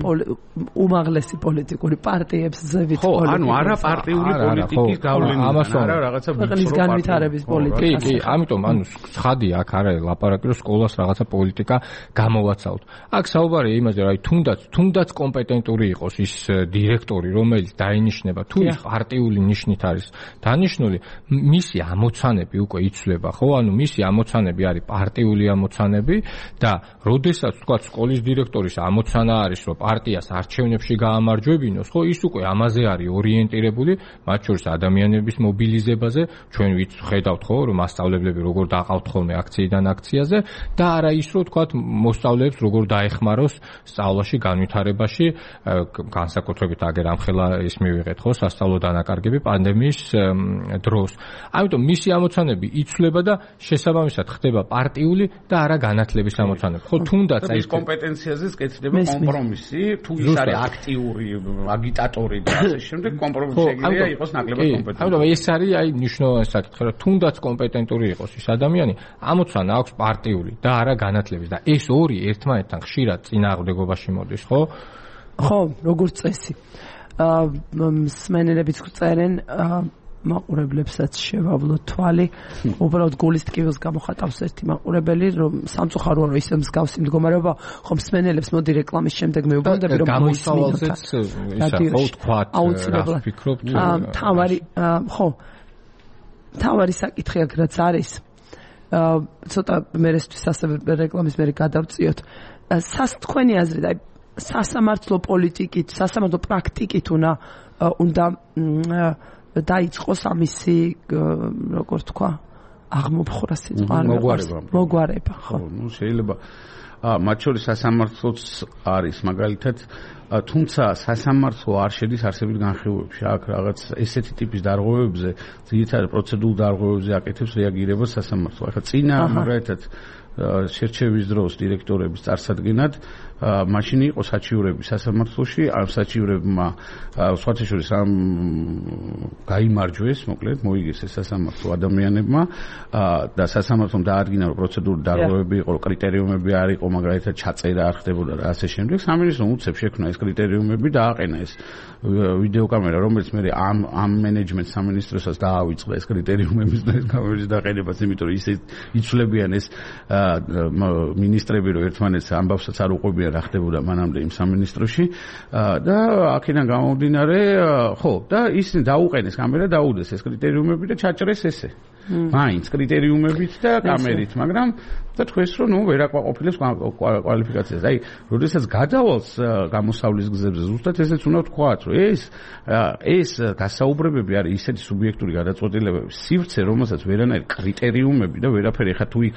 უმაღლესი პოლიტიკური პარტიებს ზევით ხო, ანუ არა პარტიული პოლიტიკის გავლენა, არა რაღაცა ქვეყნის განვითარების პოლიტიკა. კი, ამიტომ ანუ ცხადია აქ არ არის ლაპარაკი, რომ სკოლას რაღაცა პოლიტიკა გამოვაცავთ. აქ საუბარია იმაზე, რომ აი თუნდაც კომპეტენტური იყოს ის დირექტორი, რომელიც დაინიშნება, თუ ის პარტიული ნიშნით არის დანიშნული, მისი ამოცანები უკვე იცვლება, ხო? ანუ მისი ამოცანები არის პარტიული ამოცანები და როდესაც თქვა სკოლის დირექტორის ამოცანა არის, რომ პარტიას არჩევნებში გაამარჯვებინოს, ხო, ის უკვე ამაზე არის ორიენტირებული, მათ შორის ადამიანების მობილიზებაზე, ჩვენ ხედავთ, ხო, რომ მასწავლებლები როგორ დაყავთ ხოლმე აქციიდან აქციაზე და არა ის, რომ თქვა მოსწავლეებს როგორ დაეხმაროს სწავლაში, განვითარებაში, განსაკუთრებით აგერ ამხელა ის მივიღეთ, ხო, სასწავლო დანაკარგები პანდემიის დროს. ამიტომ მისი ამოცანები იცვლება და შესაბამისად ხდება პარტიული და არა განათლების ამოცანები. ხო, თუნდაც აი ეს კომპეტენციაზეც კეთდება კომპრომისი, თუ ის არის აქტიური აგიტატორი და ასე შემდეგ, კომპრომისი შეიძლება იყოს ნაკლებად კომპეტენტური. ამიტომ ეს არის აი მნიშვნელოვანი საკითხი, რომ თუნდაც კომპეტენტური იყოს ის ადამიანი, ამოცანა აქვს პარტიული და არა განათლების და ეს ორი ერთმანეთთან ხშირად წინააღმდეგობაში მოდის, ხო? ხო, როგორც წესი. მსმენელებიც წერენ მაყურებლებსაც შევავლო თვალი. უბრალოდ გულის ტკივილს გამოხატავს ერთი მაყურებელი, რომ სამწუხაროა რომ ისე მსგავსი მდგომარეობა, ხო მსმენელებს მოდი რეკლამის შემდეგ მეუბნები რომ გამოსავალზეც ისა ხო თქვა რა ვფიქრობთ? თავარი საკითხი აქ რაც არის. ცოტა მერესთვის ასევე რეკლამის მერე გადავწიოთ. თქვენი აზრით, აი სასამართლო პოლიტიკით, სასამართლო პრაქტიკით უნდა დაიწყოს ამისი როგორ თქვა აღმოფხვრა სიტყვა მოგვარება ხო ნუ შეიძლება მათ შორის სასამართლოც არის მაგალითად თუმცა სასამართლო არ შედის არსებულ განხილვებში აქ რაღაც ესეთი ტიპის დარღვევებზე ძირითადად პროცედურულ დარღვევებზე აკეთებს რეაგირებას სასამართლო ახლა წინა მაგალითად შერჩევის დროს დირექტორების წარსადგენად მაშინ იყო საჩივრები სასამართლოში ამ საჩივრებმა სხვათა შორის ამ გაიმარჯვეს მოკლედ მოიგეს ეს სასამართლო ადამიანებმა და სასამართლომ დაადგინა რომ პროცედურული დარღვევები იყო კრიტერიუმები არ იყო მაგალითად ჩაწერა არ ხდებოდა და ასე შემდეგ სამინისტრომ უცებ შექმნა ეს კრიტერიუმები და აყენა ეს ვიდეოკამერა რომელიც მე ამ მენეჯმენტ სამინისტროსაც დაავიწყდა ეს კრიტერიუმების და ეს კამერების დაყენებას იმიტომ რომ ისე იცვლებიან ეს მინისტრები რომ ერთმანეთს ამბავსაც არ უყვებიან რა ხდებოდა მანამდე იმ სამინისტროში და აქედან გამომდინარე ხო და ისინი დაუყენეს კამერა დაუდეს ეს კრიტერიუმები და ჩაჭრეს ესე მაინც კრიტერიუმებით და კამერით მაგრამ და თქვენს რომ ნუ ვერ აკმაყოფილებს კვალიფიკაციას აი როდესაც გადავალს გამოსავლის გზებზე ზუსტად ესეც უნდა ვთქვათ რომ ეს გასაუბრებები არის ისეთი სუბიექტური გადაწყვეტილებები სივრცე რომელსაც ვერანაირი კრიტერიუმები და ვერაფერი ხა თუ იქ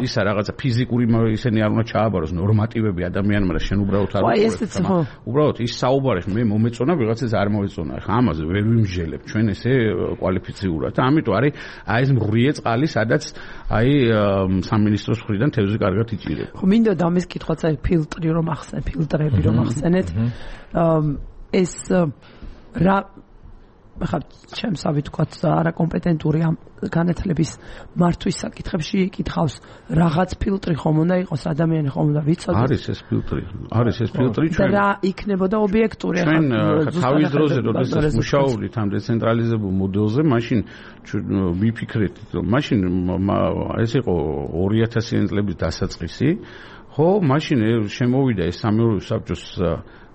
ისა რაღაცა ფიზიკური ისინი არ უნდა ჩააბაროს ნორმატივები ადამიანმა და შენ უბრალოდ არ უბრალოდ ის საუბარი მე მომეწონა ვიღაცას არ მოეწონა ხა ამაზე ვერ ვიმჟელებ ჩვენ ესე კვალიფიციურად და ამიტომ არის აი ეს მღვრიე წყალი სადაც აი სამინისტროს მხრიდან თევზი კარგად იჭირება ხო მინდოდა ამის კითხვაც აი ფილტრები რომ ახსენეთ ეს რა ხა ჩემსავი თქვათ არაკომპეტენტური ამ განათლების მართვის საკითხებში იკითხავს რაღაც ფილტრი ხომ უნდა იყოს ადამიანი ხომ უნდა ვიცოდეთ არის ეს ფილტრი ჩვენ რა იქნებოდა ობიექტური ჩვენ თავის დროზე როდესაც მუშაობდით ამ დეცენტრალიზებულ მოდელზე მაშინ ვიფიქრეთ რომ მაშინ ეს იყო 2000-იან წლების დასაწყისი ხო მაშინ შემოვიდა ეს სამეურვეო საბჭოს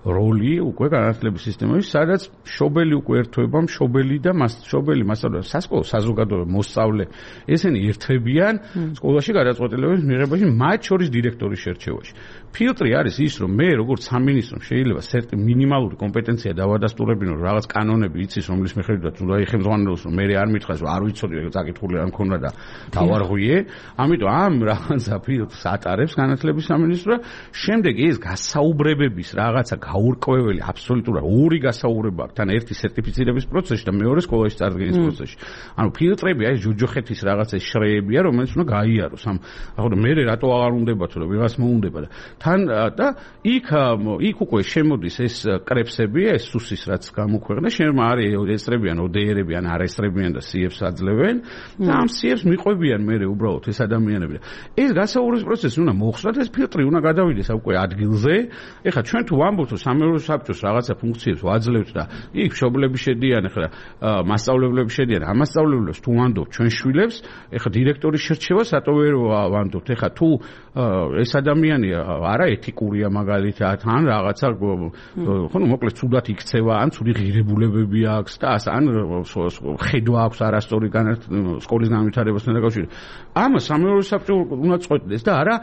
როლი უკვე განათლების სისტემაში, სადაც მშობელი უკვე ერთვება, მშობელი და მშობელი მასწავლებელი, სასკოლო საზოგადოება, მოსწავლე, ესენი ერთვებიან სკოლაში გადაწყვეტილების მიღებაში, მათ შორის დირექტორის შერჩევაში. ფილტრი არის ის, რომ მე როგორც სამინისტრომ შეიძლება მინიმალური კომპეტენცია დავადასტურებინო, რაღაც კანონები იცის, რომლის მიხედვითაც უნდა იხელმძღვანელოს, რომ მე არ მითხრას, რომ არ ვიცოდი, წაკითხული არ მქონდა და დავარღვიე. ამიტომ ამ რაღაცა ფილტრს ატარებს განათლების სამინისტრო. შემდეგ ეს გასაუბრებების რაღაცა გაურკვეველი აბსოლუტურად ორი გასაუბრება აქვს, თან ერთი სერტიფიცირების პროცესში და მეორე სკოლაში წარდგენის პროცესში. ანუ ფილტრები აი ჯოჯოხეთის რაღაცა შრეებია, რომელიც უნდა გაიაროს. ახლა მე რატო აღარ უნდებათ, რომ ვიღაც მოუნდება და თან და იქ უკვე შემოდის ეს კრებსები, ეს სუსის რაც გამოქვეყნდა, შემო არის ესწრებიან ODR-ები ან არ ესწრებიან და CF-ს აძლევენ და ამ CF-ს მიყვებიან მე უბრალოდ ეს ადამიანები. ეს გასაუბრების პროცესი უნდა მოხსნათ, ეს ფილტრი უნდა გადავიდეს უკვე ადგილზე. ეხლა ჩვენ თუ ვამბობთ, რომ სამეურნეო საბჭოს რაღაცა ფუნქციებს ვაძლევთ და იქ მშობლები შედიან, ეხლა მასწავლებლები შედიან, ამ მასწავლებლებს თუ ვანდობთ ჩვენ შვილებს, ეხლა დირექტორის შერჩევა სატო ვერ ვანდობთ. ეხლა თუ ეს ადამიანი არა ეთიკურია მაგალითად, ან რაღაცა ხო მოკლედ ცუდად იქცევა, ან ცუდი ღირებულებები აქვს და ან ხედვა აქვს არასწორი სკოლის განვითარებასთან დაკავშირებით. ამას სამეურნეო საბჭო უნდა წყვეტდეს და არა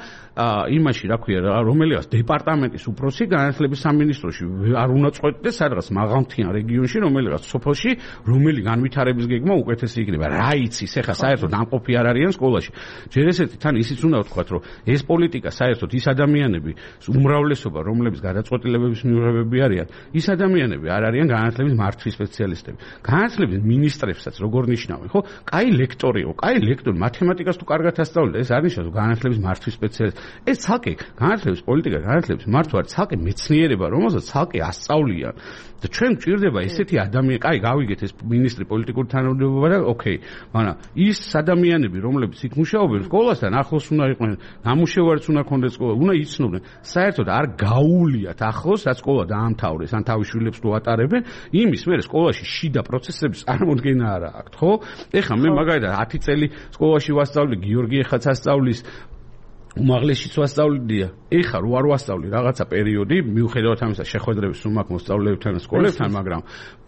იმაში, რა ქვია, რომელიღაც დეპარტამენტის უფროსი განათლების სამინისტროში არ უნდა წყვეტდეს სადღაც მაღალმთიან რეგიონში, რომელიღაც სოფელში, რომელი განვითარების გეგმა უკეთესი იქნება. რა იცის, ეხლა საერთოდ ამყოფი არ არიან სკოლაში. ჯერ ესეთი თან ისიც უნდა ვთქვათ, რომ ეს პოლიტიკა საერთოდ ის ადამიანები, უმრავლესობა, რომლებიც გადაწყვეტილებების მიღებები არიან, ის ადამიანები არ არიან განათლების მართვის სპეციალისტები. განათლების მინისტრებსაც როგორ ნიშნავენ, ხო? კაი ლექტორიო, კაი ლექტორი, მათემატიკას თუ კარგად ასწავლეთ, ეს არ ნიშნავს განათლების მართვის სპეციალისტი. ეს ცალკე განათლების პოლიტიკა, განათლების მართვა არის ცალკე მეცნიერება, რომელსაც ცალკე ასწავლიან. და ჩვენ გვჭირდება ესეთი ადამიანი, კაი, გავიგეთ ეს მინისტრი პოლიტიკური თანამდებობა და ოკეი, მაგრამ ის ადამიანები, რომლებიც იქ მუშაობენ სკოლასთან ახლოს უნდა იყვნენ, ნამუშევარიც უნდა ქონდეს სკოლა, უნდა იცნობდნენ. საერთოდ არ გაუვლიათ ახლოს, რაც სკოლა დაამთავრეს, ან თავის შვილებს თუ ატარებენ, იმის მერე სკოლაში შიდა პროცესების წარმოქმნა არ აქვს, ხო? ეხლა მე მაგალითად 10 წელი სკოლაში ვასწავლი, გიორგი ეხაც ასწავლის, უმაღლესშიც ვასწავლიდია. ეხლა რო არ ვასწავლი რაღაცა პერიოდი, მიუხედავად ამისა შეხვედრების სულ მაქვს მოსწავლეებთან და სკოლებთან, მაგრამ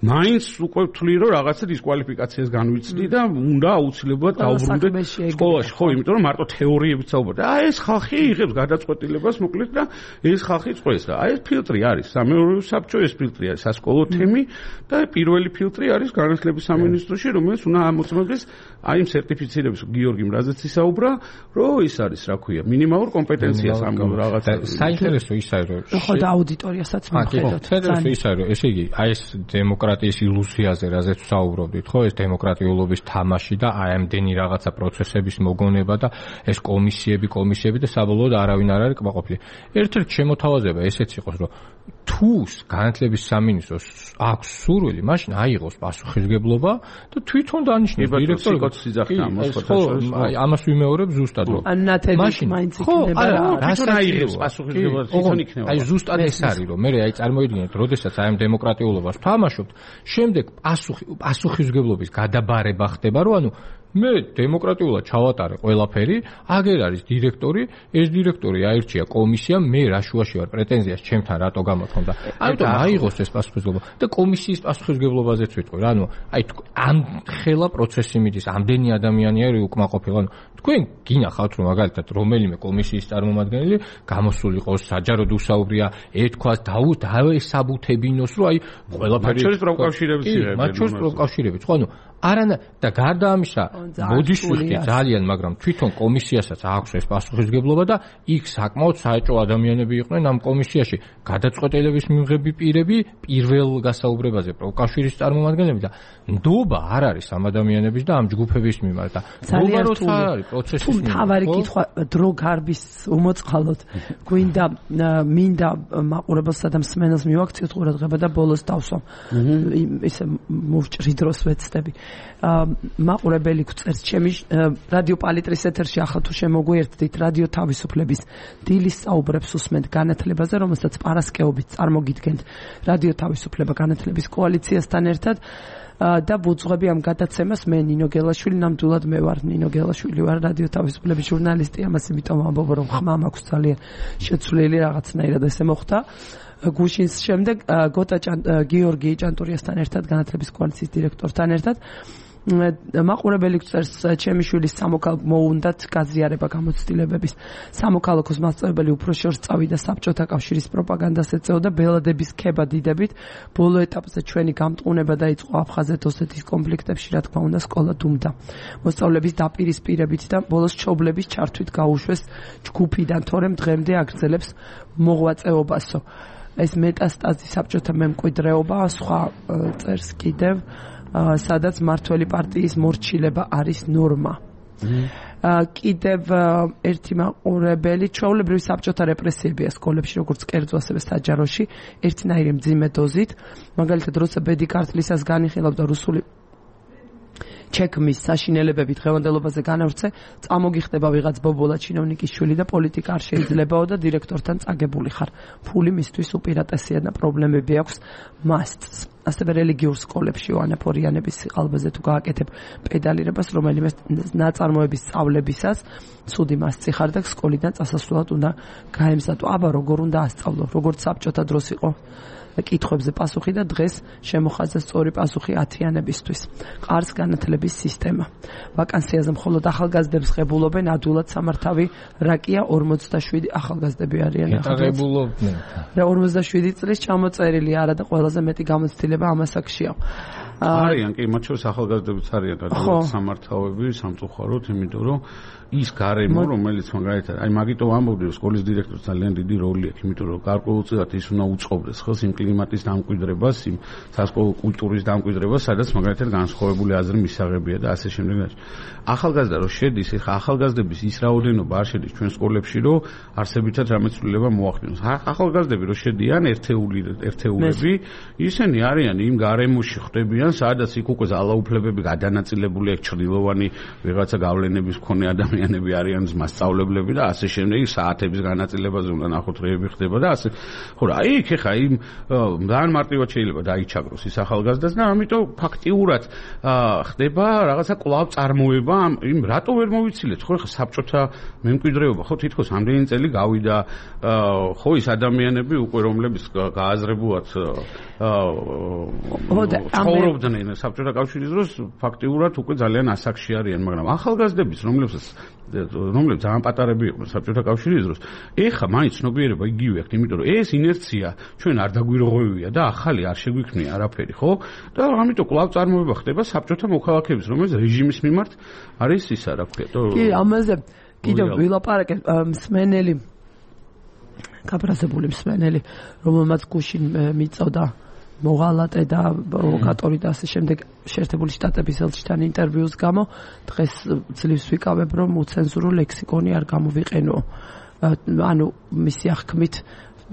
მაინც უკვე ვთვლი, რომ რაღაცა დისკვალიფიკაციას განვიცდი და უნდა აუცილებლად დავბრუნდე სკოლაში, ხო, იმიტომ რომ მარტო თეორიებით საუბრობ. აი ეს ხალხი იღებს გადაწყვეტილებას, მოკლედ და ეს ხალხი წყვეს და აი ეს ფილტრი არის, სამეურნეო საბჭო, ეს ფილტრი არის სასკოლო თემი და პირველი ფილტრი არის განათლების სამინისტროში, რომელიც უნდა ამოწმოს აი იმ სერტიფიცირების გიორგი მრაზეც ისაუბრა, რომ ის არის, რა ქვია, მინიმალურ კომპეტენციას ამ რაღაცა. საინტერესო ის არის, რომ ხო და აუდიტორიასაც მიხედავთ. საინტერესო ის არის, რომ ესე იგი, აი ეს დემოკრატიის ილუზიაზე, რაზეც ვსაუბრობდით, ხო, ეს დემოკრატიულობის თამაში და აი ამდენი რაღაცა პროცესების მოგონება და ეს კომისიები და საბოლოოდ არავინ არ არის კმაყოფილი. ერთ-ერთი შემოთავაზება ესეც იყოს, რომ თუ განათლების სამინისტროს აქვს სურვილი, მაშინ აიღოს პასუხისმგებლობა და თვითონ დანიშნოს დირექტორი. აი ამას ვიმეორებ ზუსტად, რომ მაშინ მაინც იქნება რას აიღებს პასუხისმგებლობა თვითონ იქნება. აი ზუსტად ეს არის, რომ მე აი წარმოიდგინეთ, როდესაც აი ამ დემოკრატიულობას ვთამაშობთ, შემდეგ პასუხისმგებლობის გადაბარება ხდება, რომ ანუ მე დემოკრატიულად ჩავატარე ყველაფერი, აგერ არის დირექტორი, ეს დირექტორი აირჩია კომისია, მე რა შუაში ვარ პრეტენზიას ჩემთან რატო გამოთქონდა. ამიტომ აიღოს ეს პასუხისმგებლობა და კომისიის პასუხისმგებლობაზეც ვიტყვი. ანუ აი ამ ხელა პროცესი მიდის, ამდენი ადამიანი არის უკმაყოფილო. ანუ თქვენ გინახავთ რომ მაგალითად რომელიმე კომისიის წარმომადგენელი გამოსული იყოს საჯაროდ უსაუბრია, ეთქვას დავესაბუთებინოს, რომ აი ყველაფერი მათ შორის პროკავშირებიც იღებენ. მათ შორის პროკავშირებიც, ხო, ანუ არანა და გარდა ამისა მოდის ვიხდი ძალიან, მაგრამ თვითონ კომისიასაც აქვს ეს პასუხისმგებლობა და იქ საკმაოდ საეჭვო ადამიანები იყვნენ ამ კომისიაში, გადაწყვეტილების მიღები პირები, პირველ გასაუბრებაზე პროკავშირის წარმომადგენლები და ნდობა არ არის ამ ადამიანების და ამ ჯგუფების მიმართ და ნდობა როცა არის პროცესის მიმართ. თავარი კითხვა დრო გარბის უმოწყალოდ გვინდა მინდა მაყურებელსა და მსმენელს მივაქციოთ ყურადღება და ბოლოს დავსვამ. ისე მოვჭრი დროს ვეცდები. მაყურებელი გწერს ჩემი რადიო პალიტრის ეთერში ახლა თუ შემოგვიერთდით რადიო თავისუფლების დილის საუბრებს უსმენთ განათლებაზე, რომელსაც პარასკევობით წარმოგიდგენთ რადიო თავისუფლება განათლების კოალიციასთან ერთად. და ვუძღვები ამ გადაცემას მე ნინო გელაშვილი, ნამდვილად მე ვარ ნინო გელაშვილი, ვარ რადიო თავისუფლების ჟურნალისტი, ამას იმიტომ ვამბობ, რომ ხმა მაქვს ძალიან შეცვლილი რაღაცნაირად ესე მოხდა. გუშინს შემდეგ გიორგი ჭანტურიასთან ერთად, განათლების კოალიციის დირექტორთან ერთად მაყურებელი წერს ჩემი შვილის მოუნდათ გაზიარება გამოცდილებების სამოქალაქოს მასწავლებელი უფრო შორს წავიდა საბჭოთა კავშირის პროპაგანდას ეწეოდა ბელადების ქება დიდებით ბოლო ეტაპზე ჩვენი გამტყუნება დაიწყო აფხაზეთ ოსეთის კონფლიქტებში რა თქმა უნდა სკოლა დუმდა მოსწავლების დაპირისპირებით და ბოლოს ჩობლების ჩართვით გაუშვეს ჯგუფიდან თორემ დღემდე აგრძელებს მოღვაწეობასო ეს მეტასტაზი საბჭოთა მემკვიდრეობა სხვა წერს კიდევ სადაც მართველი პარტიის მორჩილება არის ნორმა. კიდევ ერთი მაყურებელი ჩვეულებრივი საბჭოთა რეპრესიებია სკოლებში როგორც კერძო ასევე საჯაროში ერთნაირი მძიმე დოზით მაგალითად როცა ბედი ქართლისას განიხილავდა რუსული ჩექმის საშინელებები დღევანდელობაზე განავრცე წამოგიხდება ვიღაც ბობოლა ჩინოვნიკის შვილი და პოლიტიკა არ შეიძლებაო და დირექტორთან წაგებული ხარ ფული მისთვის უპირატესია და პრობლემები აქვს მასწს ასევე რელიგიურ სკოლებში ვანაფორიანების სიყალბეზე თუ გააკეთებ პედალირებას რომელიმე ნაწარმოების სწავლებისას ცუდი მასწი ხარ და სკოლიდან წასასვლელად უნდა გაემზადო აბა როგორ უნდა ასწავლო როგორც საბჭოთა დროს იყო კითხვებზე პასუხი და დღეს შემოხაზა სწორი პასუხი ათიანებისთვის. ყარს განათლების სისტემა. ვაკანსიაზე მხოლოდ ახალგაზრდებს ღებულობენ, ადვილად სამართავი რაკია 47 ახალგაზრდები არიან. ღებულობდნენ. და 47 წლის ჩამოწერილი არა და ყველაზე მეტი გამოცდილება ამასაკშია. არიან კი მათ შორის ახალგაზრდებიც არიან და სამართავები სამწუხაროდ იმიტომ რომ ის გარემო რომელიც მაგალითად აი მაგიტო ამბობდი რომ სკოლის დირექტორს ძალიან დიდი როლი აქვს იმიტომ რომ გარკვეულწილად ის უნდა უწყობდეს ხელს იმ კლიმატის დამკვიდრებას იმ სასკოლო კულტურის დამკვიდრებას სადაც მაგალითად განსხვავებული აზრი მისაღებია და ასე შემდეგ ახალგაზრდა რომ შედის ეხა ახალგაზრდების ის რაოდენობა არ შედის ჩვენ სკოლებში რომ არსებითად რამე ცვლილება მოახდინოს ახალგაზრდები რომ შედიან ერთეულები ისინი არიან იმ გარემოში ხდებიან სადაც იქ უკვე ძალაუფლებები გადანაწილებული აქვს ჩრდილოვანი ვიღაცა გავლენების მქონე ადამიანები არიან მასწავლებლები და ასე შემდეგ საათების განაწილებაზე უნდა ნახოთ რეები ხდება და ასე ხო რა იქ ეხა იმ ძალიან მარტივად შეიძლება დაიჩაგროს ის ახალგაზრდას და ამიტომ ფაქტიურად ხდება რაღაცა კვლავ წარმოება იმ რატო ვერ მოვიცილეთ ხო ეხა საბჭოთა მემკვიდრეობა ხო თითქოს ამდენი წელი გავიდა ხო ის ადამიანები უკვე რომლებიც გააზრებულად ცხოვრობდნენ საბჭოთა კავშირის დროს ფაქტიურად უკვე ძალიან ასაკში არიან მაგრამ ახალგაზრდების რომლებსაც ძალიან პატარები იყვნენ საბჭოთა კავშირის დროს ეხა მაინც ცნობიერება იგივე აქვს იმიტომ რომ ეს ინერცია ჩვენ არ დაგვირღვევია და ახალი არ შეგვიქმნია არაფერი ხო და ამიტომ კვლავ წარმოება ხდება საბჭოთა მოქალაქეების რომელიც რეჟიმის მიმართ არის ისა რა ქვია კი ამაზე კიდევ ვილაპარაკეთ მსმენელი გაბრაზებული მსმენელი რომელმაც გუშინ მიწოდა მოღალატე და პროვოკატორი და ასე შემდეგ შეერთებული შტატების ელჩთან ინტერვიუს გამო დღეს ძლივს ვიკავებ რომ უცენზურო ლექსიკონი არ გამოვიყენო ანუ მისი აღქმით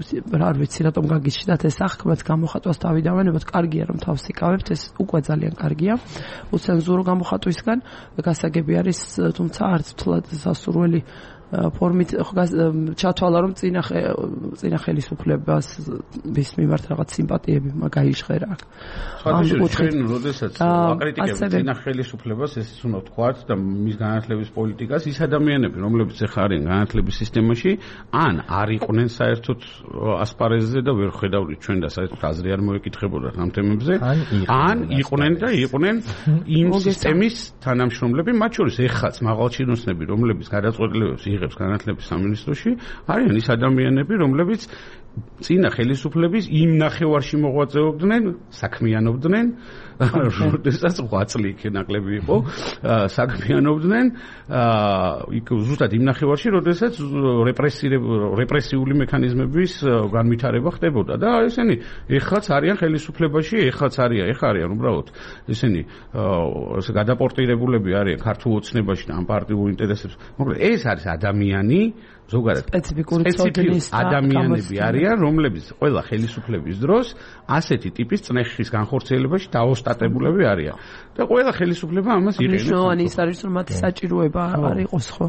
არ ვიცი რატომ გაგიჩნდათ ეს აღქმაც გამოხატვას დავიდავანებოთ კარგია რომ თავს იკავებთ ეს უკვე ძალიან კარგია უცენზურო გამოხატვისგან გასაგები არის თუმცა არც თლად სასურველი ფორმით ჩათვალა რომ წინა ხელისუფლებას ვის მიმართ რაღაც სიმპათიები მაგაიჟღერა აქ. ჩვენ როდესაც აკრიტიკებთ წინა ხელისუფლებას ეს უნდა ვთქვათ და მის განათლების პოლიტიკას ის ადამიანები რომლებიც ახლა არიან განათლების სისტემაში ან არ იყვნენ საერთოდ ასპარეზზე და ვერ ხედავდით ჩვენ და საერთოდ აზრი არ მოეკითხებოდათ ამ თემებზე ან იყვნენ და იყვნენ იმ სისტემის თანამშრომლები მათ შორის ეხაც მაღალჩინოსნები რომლებიც გადაწყვეტილებებს იღებს განათლების სამინისტროში არიან ის ადამიანები რომლებიც წინა ხელისუფლების იმ ნახევარში მოღვაწეობდნენ საქმიანობდნენ როდესაც 8 წელი იქ ნაკლები იყო საქმიანობდნენ იქ ზუსტად იმ ნახევარში როდესაც რეპრესიული მექანიზმების განვითარება ხდებოდა და ესენი ეხლაც არიან ხელისუფლებაში ეხლაც არიან უბრალოდ ესენი გადაპორტირებულები არიან ქართულ ოცნებაში და ამ პარტიულ ინტერესებს მოკლედ ეს არის ადამიანი ზოგადად სპეციფიკური ცოდნის ადამიანები არიან, რომლებიც ყველა ხელისუფლების დროს ასეთი ტიპის წნეხის განხორციელებაში დაოსტატებულები არიან. და ყველა ხელისუფლება ამას იყენებს. მნიშვნელოვანი ის არის, რომ მათი საჭიროება არ იყოს, ხო?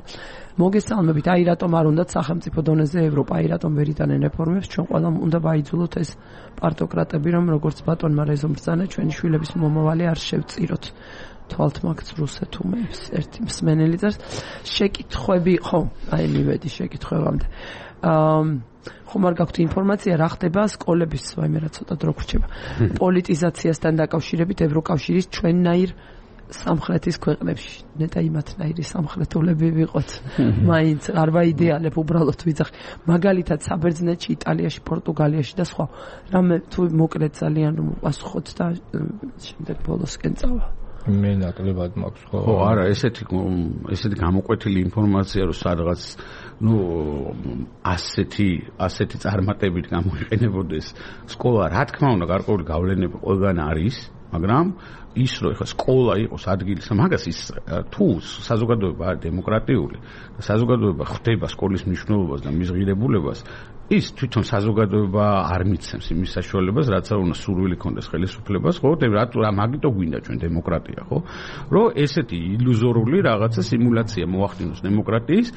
მოგესალმებით, აი რატომ არ უნდათ სახელმწიფო დონეზე ევროპა, აი რატომ ვერ იტანენ რეფორმებს, ჩვენ ყველამ უნდა ვაიძულოთ ეს პარტოკრატები, რომ როგორც ბატონმა რეზომ ბრძანა, ჩვენი შვილების მომავალი არ შევწიროთ. თვალთ მაგც რუსეთუმებს ერთი მსმენელი წერს შეკითხვები ხო აი მივედი შეკითხვებამდე ხომ არ გაქვთ ინფორმაცია რა ხდება სკოლების ვაიმე რა ცოტა დრო გრჩება პოლიტიზაციასთან დაკავშირებით ევროკავშირის ჩვენნაირ სამხრეთის ქვეყნებში ნეტა იმათნაირი სამხრეთულები ვიყოთ მაინც არ ვაიდეალებ უბრალოდ ვიძახ მაგალითად საბერძნეთში იტალიაში პორტუგალიაში და სხვა რამე თუ მოკლედ ძალიან რომ პასუხოთ და შემდეგ ბოლოსკენ წავა მე ნაკლებად მაქვს ხო არა ესეთი გამოკვეთილი ინფორმაცია რომ სადღაც ასეთი წარმატებით გამოიყენებოდეს სკოლა რა თქმა უნდა გარკვეული გავლენები ყველგან არის მაგრამ ის რომ ხა სკოლა იყოს ადგილი მაგას ის თუ საზოგადოება არის დემოკრატიული და საზოგადოება ხვდება სკოლის მნიშვნელობას და მის ღირებულებას ის თვითონ საზოგადოება არ მიცემს იმის საშუალებას რაც არ უნდა სურვილი ქონდეს ხელისუფლებას ხო რა მაგიტო გვინდა ჩვენ დემოკრატია ხო რომ ესეთი ილუზორული რაღაცა სიმულაცია მოახდინოს დემოკრატიის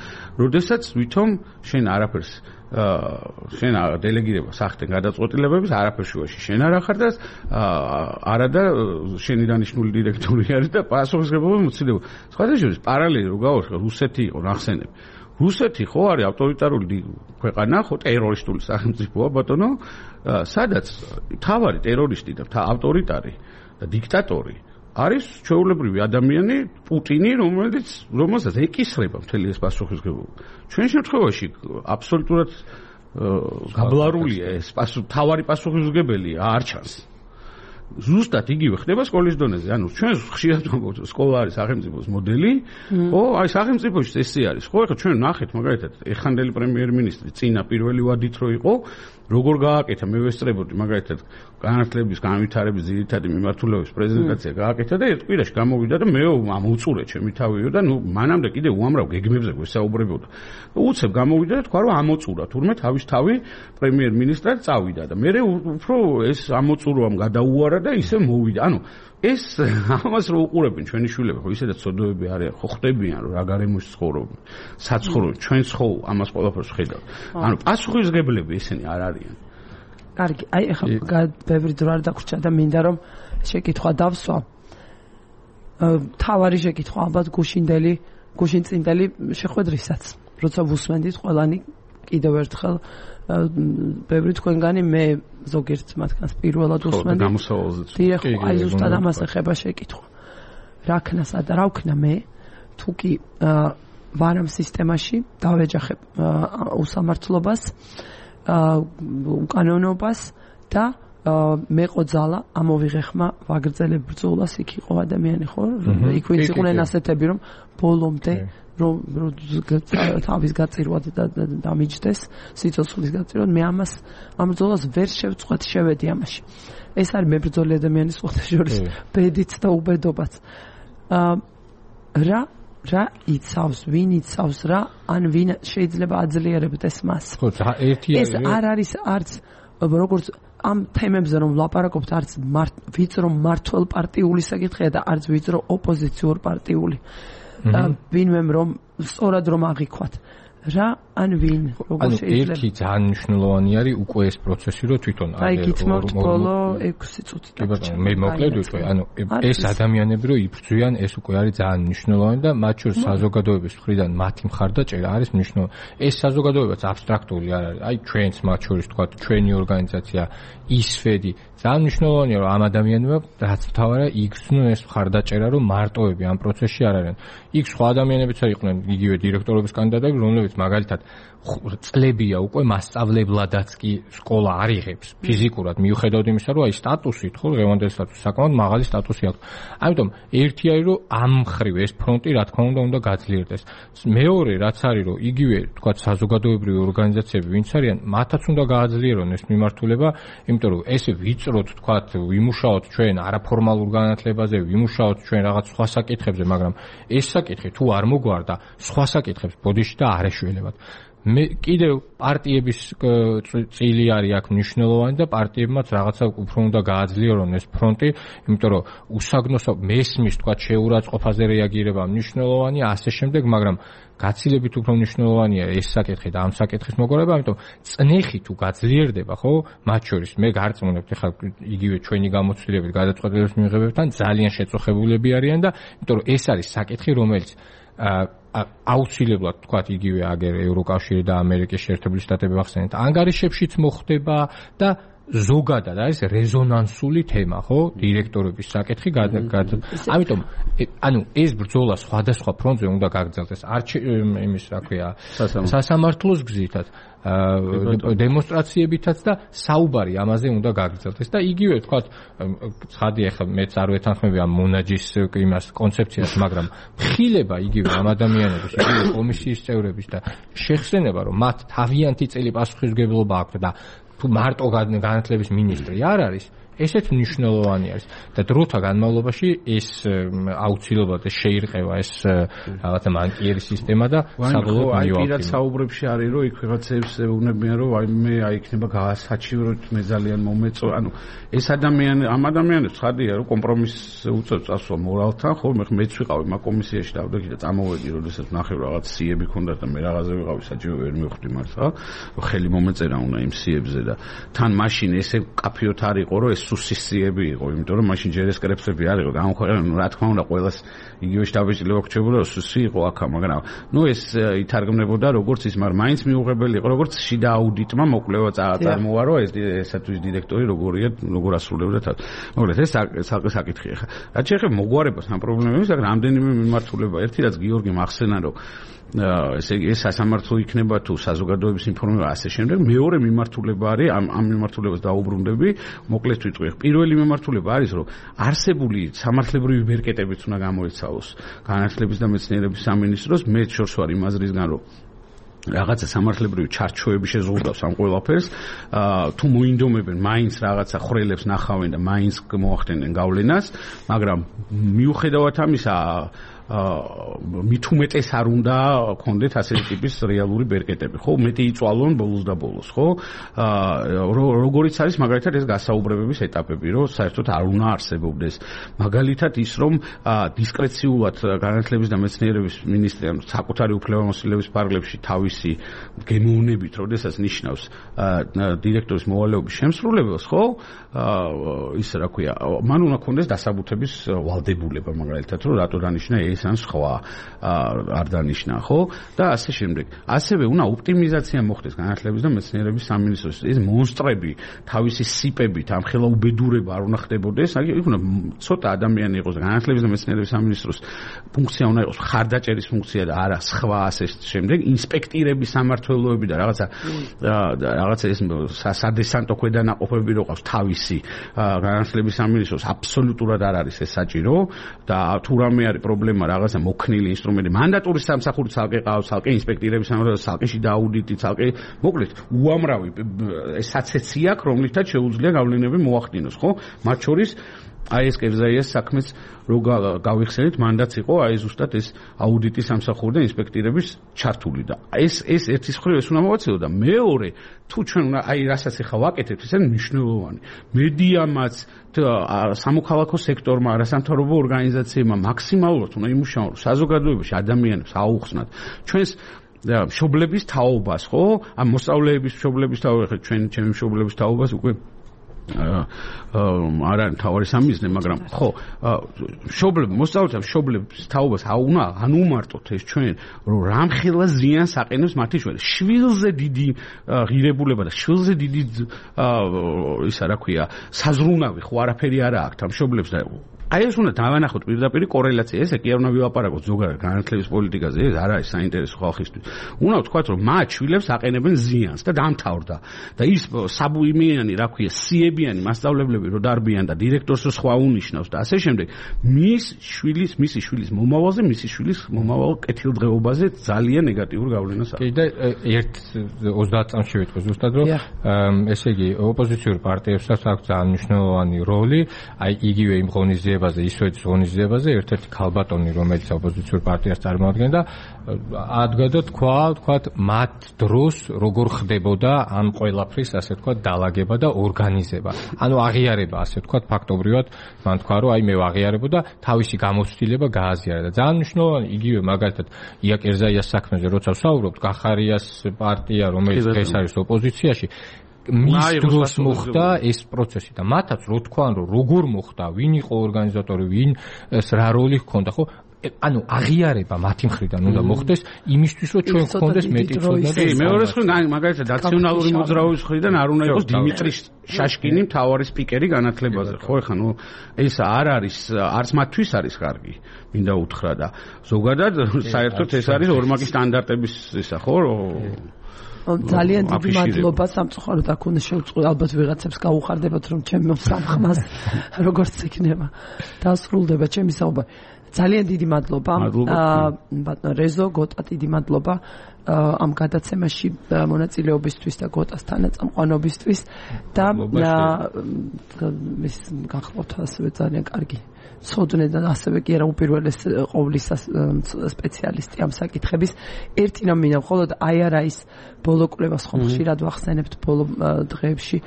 როდესაც თვითონ შენ არაფერს შენ დელეგირება სახთენ გადაწყვეტილებებს არაფერ შუაში შენ არ ახარ და არა და შენი დანიშნული დირექტორი არის და პასუხისმგებლობა მოცილება სხვადასხვა პარალელი რო გავახსენე რუსეთი იყო ნახსენები რუსეთი ხო არის ავტორიტარული ქვეყანა ხო ტერორისტული სახელმწიფოა ბატონო სადაც თავარი ტერორისტი და ავტორიტარი და დიქტატორი არის ჩვეულებრივი ადამიანი პუტინი რომელსაც ეკისრება მთელი ეს პასუხისმგებლობა ჩვენ შემთხვევაში აბსოლუტურად გაბლარულია ეს თავარი პასუხისმგებელია არ ჩანს ზუსტად იგივე ხდება სკოლის დონეზე. ანუ ჩვენ ხშირად ვამბობთ, სკოლა არის სახელმწიფოს მოდელი, ხო? აი სახელმწიფოში წესი არის. ხო, ეხლა ჩვენ ნახეთ მაგალითად, ეხანდელი პრემიერ-მინისტრი წინა პირველი ვადით რო იყო, როგორ გააკეთა მე ვესწრებოდი მაგალითად განათლების განვითარების ძირითადი მიმართულების პრეზენტაცია გააკეთა და ერთ კვირაში გამოვიდა და მე ამოუწურე ჩემი თავიო და ნუ მანამდე კიდე უამრავ გეგმებზე გვესაუბრებოდა. უცებ გამოვიდა და თქვა რომ ამოწურა თურმე თავის თავი პრემიერ-მინისტრად წავიდა და მე უფრო ეს ამოწურვამ გადაუარა და ისე მოვიდა. ანუ ეს ამას რო უყურებენ ჩვენი შვილები, ხო ისედაც ცოდოები არიან, ხო ხდებიან რომ რა გარემოში ცხოვრობენ, საცხოვრობენ, ჩვენც ხო ამას ყველაფერს ხედავთ. ანუ პასუხისმგებლები ესენი არ არიან. კარგი, აი ახლა ბევრი დრო არ დაგვრჩა და მინდა რომ შეკითხვა დავსვა. თავარი შეკითხვა ალბათ გუშინწინდელი შეხვედრისაც, როცა ვუსმენდით ყველანი კიდევ ერთხელ ბევრი თქვენგანი მე ზოგიერთ მათგანს პირველად ვუსმენდი. გამოსავალზეც. აი ზუსტად ამას ეხება შეკითხვა. რა ქნასა და რა ვქნა მე თუ კი ვარამ სისტემაში დავეჯახებ უსამართლობას უკანონობას და მეყო ძალა ამოვიღე ხმა ვაგრძელებ ბრძოლას იქ იყო ადამიანი ხო იქ ვინც იყვნენ ასეთები რომ ბოლომდე რომ თავის გაწირვა და დამიჯდეს სიცოცხლის გაწირვა მე ამ ბრძოლას ვერ შევწყვეტ შევედი ამაში ეს არის მებრძოლი ადამიანის ხოთაშორის ბედიც და უბედობაც რა იცავს ვინ იცავს რა ან ვინ შეიძლება აძლიერებდეს მას ხო ერთი ეს არ არის არც როგორც ამ თემებზე რომ ვლაპარაკობთ არც ვიწრო მართლ პარტიული საკითხია და არც ვიწრო ოპოზიციურ პარტიული ვინმე რომ სწორად რომ აღიქვათ რა ან ვინ როგორ შეიძლება ერთი ძალიან მნიშვნელოვანი არის უკვე ეს პროცესი რომ თვითონ აი გითმობთ ბოლო 6 წუთი კი ბატონო მე მოკლედ ვიტყვი ანუ ეს ადამიანები რომ იბრძვიან ეს უკვე არის ძალიან მნიშვნელოვანი და მათ შორის საზოგადოების მხრიდან მათი მხარდაჭერა არის მნიშვნელოვანი ეს საზოგადოებაც აბსტრაქტული არ არის აი ჩვენც მათ შორის თქვა ჩვენი ორგანიზაცია ისფედი ძალიან მნიშვნელოვანია რომ ამ ადამიანებმა რაც მთავარია იგრძნონ ეს მხარდაჭერა რომ მარტოები ამ პროცესში არ არიან იქ სხვა ადამიანებიც იყვნენ იგივე დირექტორობის კანდიდატები რომლებიც მაგალითად წლებია უკვე მასწავლებლადაც კი სკოლა არ იღებს ფიზიკურად მიუხედავად იმისა რომ აი სტატუსით ხო დღევანდელი სტატუსი საკმაოდ მაღალი სტატუსი აქვს ამიტომ ერთი არის რომ ამ მხრივ ეს ფრონტი რა თქმა უნდა გაძლიერდეს მეორე რაც არის რომ იგივე თქვა საზოგადოებრივი ორგანიზაციები ვინც არიან მათაც უნდა გააძლიერონ ეს მიმართულება იმიტომ რომ ესე ვიწროთ თქვა ვიმუშაოთ ჩვენ არაფორმალურ განათლებაზე ვიმუშაოთ ჩვენ რაღაც სხვა საკითხებზე მაგრამ ეს საკითხი თუ არ მოგვარდა სხვა საკითხებს ბოდიში და არ ეშველებათ მე კიდევ პარტიების წილი არის აქ მნიშვნელოვანი და პარტიებმაც რაღაცა უფრო უნდა გააძლიერონ ეს ფრონტი, იმიტომ რომ უსაგნოსო მესმის თქვა შეურაცხყოფაზე რეაგირება მნიშვნელოვანია, ასე შემდეგ, მაგრამ გაცილებით უფრო მნიშვნელოვანია ეს საკითხი და ამ საკითხის მოგვარება, ამიტომ წნეხი თუ გაძლიერდება, ხო, მათ შორის მე გარწმუნებთ, ხა იგივე ჩვენი გამოცდილებით გადაწყვეტილების მიღებებთან ძალიან შეწუხებულები არიან და იმიტომ რომ ეს არის საკითხი, რომელიც აუცილებლად თქვათ იგივე აგერ ევროკავშირი და ამერიკის შეერთებული შტატები ახსენეთ, ანგარიშებშიც მოხდება და ზოგადად არის რეზონანსული თემა, ხო? დირექტორების საკითხი ამიტომ ანუ ეს ბრძოლა სხვადასხვა ფრონტზე უნდა გაგრძელდეს. იმის რა ქვია, სასამართლოს გზითაც, დემონსტრაციებითაც და საუბარი ამაზე უნდა გაგრძელდეს და იგივე თქვათ, ცხადი ახლა მეც არ ვეთანხმები ამ მონაჯის იმას კონცეფციას, მაგრამ ხილება იგივე ამ ადამიანების, იგივე კომისიის წევრების და შეხსენება, რომ მათ თავიანთი წელი პასუხისმგებლობა აქვს და თუ მარტო განათლების მინისტრი არ არის, ესეც მნიშვნელოვანი არის და დროთა განმავლობაში ეს აუცილებლად შეირყევა ეს რაღაცა მანკიერი სისტემა და საბოლოოდ მიიღება. აი პირად საუბრებში არის რომ იქ ვიღაცებს უნებიან რომ აი მე იქნება გაასაჩივროთ, მე ძალიან მომეწო, ანუ ეს ამ ადამიანებს ხადია რომ კომპრომისს უწევს წასვლა მორალთან, ხო მეც ვიყავი მაგ კომისიაში დავდექი და წამოვედი, როდესაც ნახე რაღაც სიები ქონდა და მე რაღაცა ვიყავი საჭირო ვერ მივხვდი მართლა, ხელი მომეწერა უნდა იმ სიებზე და თან მაშინ ესე კაფიოთ არ იყო რომ სუსისიები იყო, იმიტომ რომ მაშინ ჯერ ეს კრეფსები არ იყო, გამოხერხდა რა თქმა უნდა ყველას იგივე შტაბეჭდილება გრჩებოდა, სუსი იყო აქა, მაგრამ ნუ ეს ითარგმნებოდა როგორც ის, მაგრამ მაინც მიუღებელი იყო, როგორც შიდა აუდიტმა მოკვლევა წარმოუარო ესათვის დირექტორი როგორია, როგორ ასრულებდა თავს. მოკლედ ეს საკითხი ხა. რაც შეეხება მოგვარებას ამ პრობლემებს, აქ რამდენიმე მიმართულება, ერთი რაც გიორგი მახსენა, რომ ესე იგი ეს სასამართლო იქნება თუ საზოგადოების ინფორმირება ასე შემდეგ. მეორე მიმართულება არის ამ მიმართულებას დაუბრუნდები, მოკლედ ვიტყვი. პირველი მიმართულება არის რომ არსებული სამართლებრივი ბერკეტებიც უნდა გამოიცავოს განათლების და მეცნიერების სამინისტროს. მე შორს ვარ იმ აზრისგან რომ რაღაცა სამართლებრივი ჩარჩოები შეზღუდავს ამ ყველაფერს, თუ მოინდომებენ მაინც რაღაცა ხრელებს ნახავენ და მაინც მოახდენენ გავლენას, მაგრამ მიუხედავად ამისა მით უმეტეს არ უნდა გქონდეთ ასეთი ტიპის რეალური ბერკეტები, ხო? მეტი იწვალონ ბოლოს და ბოლოს, ხო? როგორიც არის მაგალითად ეს გასაუბრებების ეტაპები, რომ საერთოდ არ უნდა არსებობდეს. მაგალითად ის, რომ დისკრეციულად განათლების და მეცნიერების მინისტრიამ საკუთარი უფლებამოსილების ფარგლებში თავისი გემოვნებით, როდესაც ნიშნავს დირექტორის მოვალეობის შემსრულებელს, ხო? ის რა ქვია, მან უნდა გქონდეს დასაბუთების ვალდებულება, მაგალითად, რომ რატო დანიშნა ეს ან სხვა არ დანიშნა, ხო? და ასე შემდეგ. ასევე უნდა ოპტიმიზაცია მოხდეს განათლების და მეცნიერების სამინისტროს. ეს მონსტრები თავისი სიპებით ამხელა უბედურება არ უნდა ხდებოდეს. აი უნდა ცოტა ადამიანი იყოს განათლების და მეცნიერების სამინისტროს ფუნქცია უნდა იყოს ხარდაჭერის ფუნქცია და არა სხვა ასე შემდეგ. ინსპექტირების სამმართველოები და რაღაცა ეს სადესანტო ქვედანაყოფები რო ყავს თავისი განათლების სამინისტროს აბსოლუტურად არ არის ეს საჭირო და თუ რამე არის პრობლემა რაღაცა მოქნილი ინსტრუმენტი მანდატური სამსახური ცალკე ყავს, ცალკე ინსპექტირების სამსახური, ცალკე შიდა აუდიტი, ცალკე მოკლედ უამრავი საცეცი აქვს, რომლითაც შეუძლია გავლენები მოახდინოს, ხო? მათ შორის აი ეს კერძაიას საქმეც რო გავიხსენეთ, მანდატს იყო აი ზუსტად ეს აუდიტის სამსახური და ინსპექტირების ჩართული და ეს ერთის მხრივ ეს უნდა მოვაცილო და მეორე თუ ჩვენ აი რასაც ახლა ვაკეთებთ, ეს არის მნიშვნელოვანი. მედიამაც სამოქალაქო სექტორმა, არასამთავრობო ორგანიზაციებმა მაქსიმალურად უნდა იმუშაონ, რომ საზოგადოებაში ადამიანებს აუხსნათ ჩვენს მშობლების თაობას, ხო? ამ მოსწავლეების მშობლების თაობას, ჩემი მშობლების თაობას უკვე არა თავარი სამიზნე, მაგრამ ხო მოსწავლეთა მშობლების თაობას არ უმარტოთ ეს ჩვენ, რომ რამხელა ზიანს აყენებს მათი შვილზე დიდი ღირებულება და შვილზე დიდი ისა რა ქვია საზრუნავი ხო არაფერი არა აქვს ამ მშობლებს და აი ეს უნდა დავანახოთ პირდაპირ კორელაცია, ესე კი არ უნდა ვილაპარაკოთ ზოგადად განათლების პოლიტიკაზე, ეს არ არის საინტერესო ხალხისთვის. უნდა ვთქვათ, რომ მათ შვილებს აყენებენ ზიანს და დამთავრდა. და ის საბუიმიანი, რა ქვია, სიებიანი მასწავლებლები რო დარბიან და დირექტორს რო სხვა უნიშნავს და ასე შემდეგ, მისი შვილის მომავალზე, მისი შვილის მომავალ კეთილდღეობაზე ძალიან ნეგატიურ გავლენას აქვს. კი და 30 წამში ვიტყვი ზუსტად, რომ ესე იგი ოპოზიციურ პარტიებსაც აქვს ძალიან მნიშვნელოვანი როლი, აი იგივე იმ ღონისძიება ღონისძიებაზე, ისვეც ღონისძიებაზე ერთ-ერთი ქალბატონი, რომელიც ოპოზიციურ პარტიას წარმოადგენდა, ადგა და თქვათ, მათ დროს როგორ ხდებოდა ამ ყველაფრის, ასე თქვათ, დალაგება და ორგანიზება. ანუ აღიარება, ასე თქვათ, ფაქტობრივად, მან თქვა, რომ აი მე ვაღიარებოდა, თავისი გამოცდილება გააზიარა და ძალიან მნიშვნელოვანი იგივე მაგალითად იაკ ერზაიას საქმეზე, როცა ვსაუბრობთ, გახარიას პარტია, რომელიც დღეს არის ოპოზიციაში, მის დროს მოხდა ეს პროცესი და მათაც რო თქვან, რომ როგორ მოხდა, ვინ იყო ორგანიზატორი, ვინ რა როლი ჰქონდა, ხო? ანუ აღიარება მათი მხრიდან უნდა მოხდეს იმისთვის, რომ ჩვენ გქონდეს მეტი ცოდნა. მეორე მხრივ, მაგალითად, ნაციონალური მოძრაობის მხრიდან არ უნდა იყოს დიმიტრი შაშკინი მთავარი სპიკერი განათლებაზე. ხო, ეხლა ეს არ არის, არც მათთვის არის კარგი, მინდა უთხრა და ზოგადად საერთოდ ეს არის ორმაგი სტანდარტების ისა, ხო? ძალიან დიდი მადლობა სამწუხაროდ აქ უნდა შევწყვეტ, ალბათ ვიღაცებს გაუხარდებათ, რომ ჩემი სამხმას როგორც იქნება დასრულდება ჩემი საუბარი. ძალიან დიდი მადლობა ბატონ რეზო, გოტა დიდი მადლობა ამ გადაცემაში მონაწილეობისთვის და გოტას თანაწამყვანობისთვის და ის გახლავთ ასევე ძალიან კარგი ცოდნე და ასევე კი არა უპირველეს ყოვლისა სპეციალისტი ამ საკითხების. ერთი რამ მინდა მხოლოდ აი არა ის ბოლო კვლევას ხომ ხშირად ვახსენებთ ბოლო დღეებში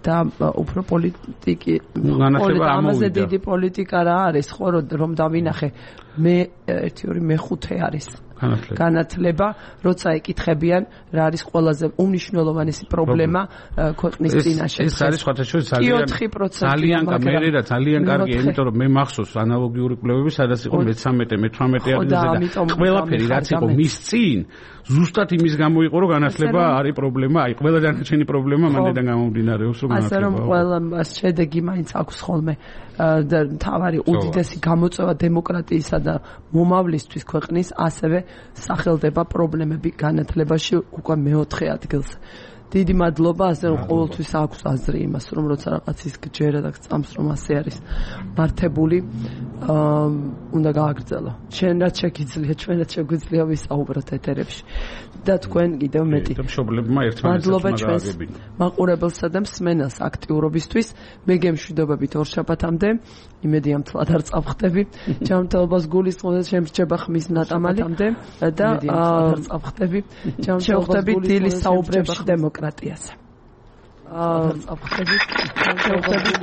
და უფრო პოლიტიკი ამაზე დიდი პოლიტიკა რა არის ხო რომ დავინახე მე 1 2 მე-5 არის განათლება, როცა ეკითხებიან რა არის ყველაზე უმნიშვნელოვანესი პრობლემა ქვეყნის წინაშე. ეს არის სხვათაშორის ძალიან კარგი, იმიტომ რომ მე მახსოვს ანალოგიური კვლევები, სადაც იყო მე-13, მე-18 ადგილზე და ყველაფერი რაც იყო მის წინ, ზუსტად იმის გამო იყო, რომ განათლება არის პრობლემა, აი ყველა დანარჩენი პრობლემა მანდიდან გამომდინარეობს, რომ განათლება. ასე რომ ყველა შედეგი მაინც აქვს ხოლმე და თავარი უდიდესი გამოწვევა დემოკრატიისა და მომავლისთვის ქვეყნის, ასევე სახელდება პრობლემები განათლებაში უკვე მე-4 ადგილზე. დიდი მადლობა, ასე რომ ყოველთვის აქვს აზრი იმას, რომ როცა რაღაცის გჯერა და წამს რომ ასე არის მართებული, უნდა გააგრძელო. ჩვენ რაც შეგიძლია, ჩვენ რაც შეგვიძლია ვისაუბროთ ეთერებში. და თქვენ კიდევ მეტი. მშობლებმა ერთმანეთს გააგებინო. მაყურებელსა და მსმენელს აქტიურობისთვის მე გემშვიდობებით ორშაბათამდე. იმედი ამ თლად არ წავხდები. ჯანმრთელობას გულისხმობთ, შემრჩება ხმის ნატამალი და არ წავხდები. შევხვდებით დილის საუბრებში დემოკრატიაზე. წავხდებით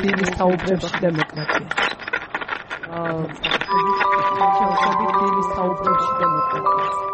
დილის საუბრებში დემოკრატიაზე. შევხვდებით დილის საუბრებში დემოკრატიაზე.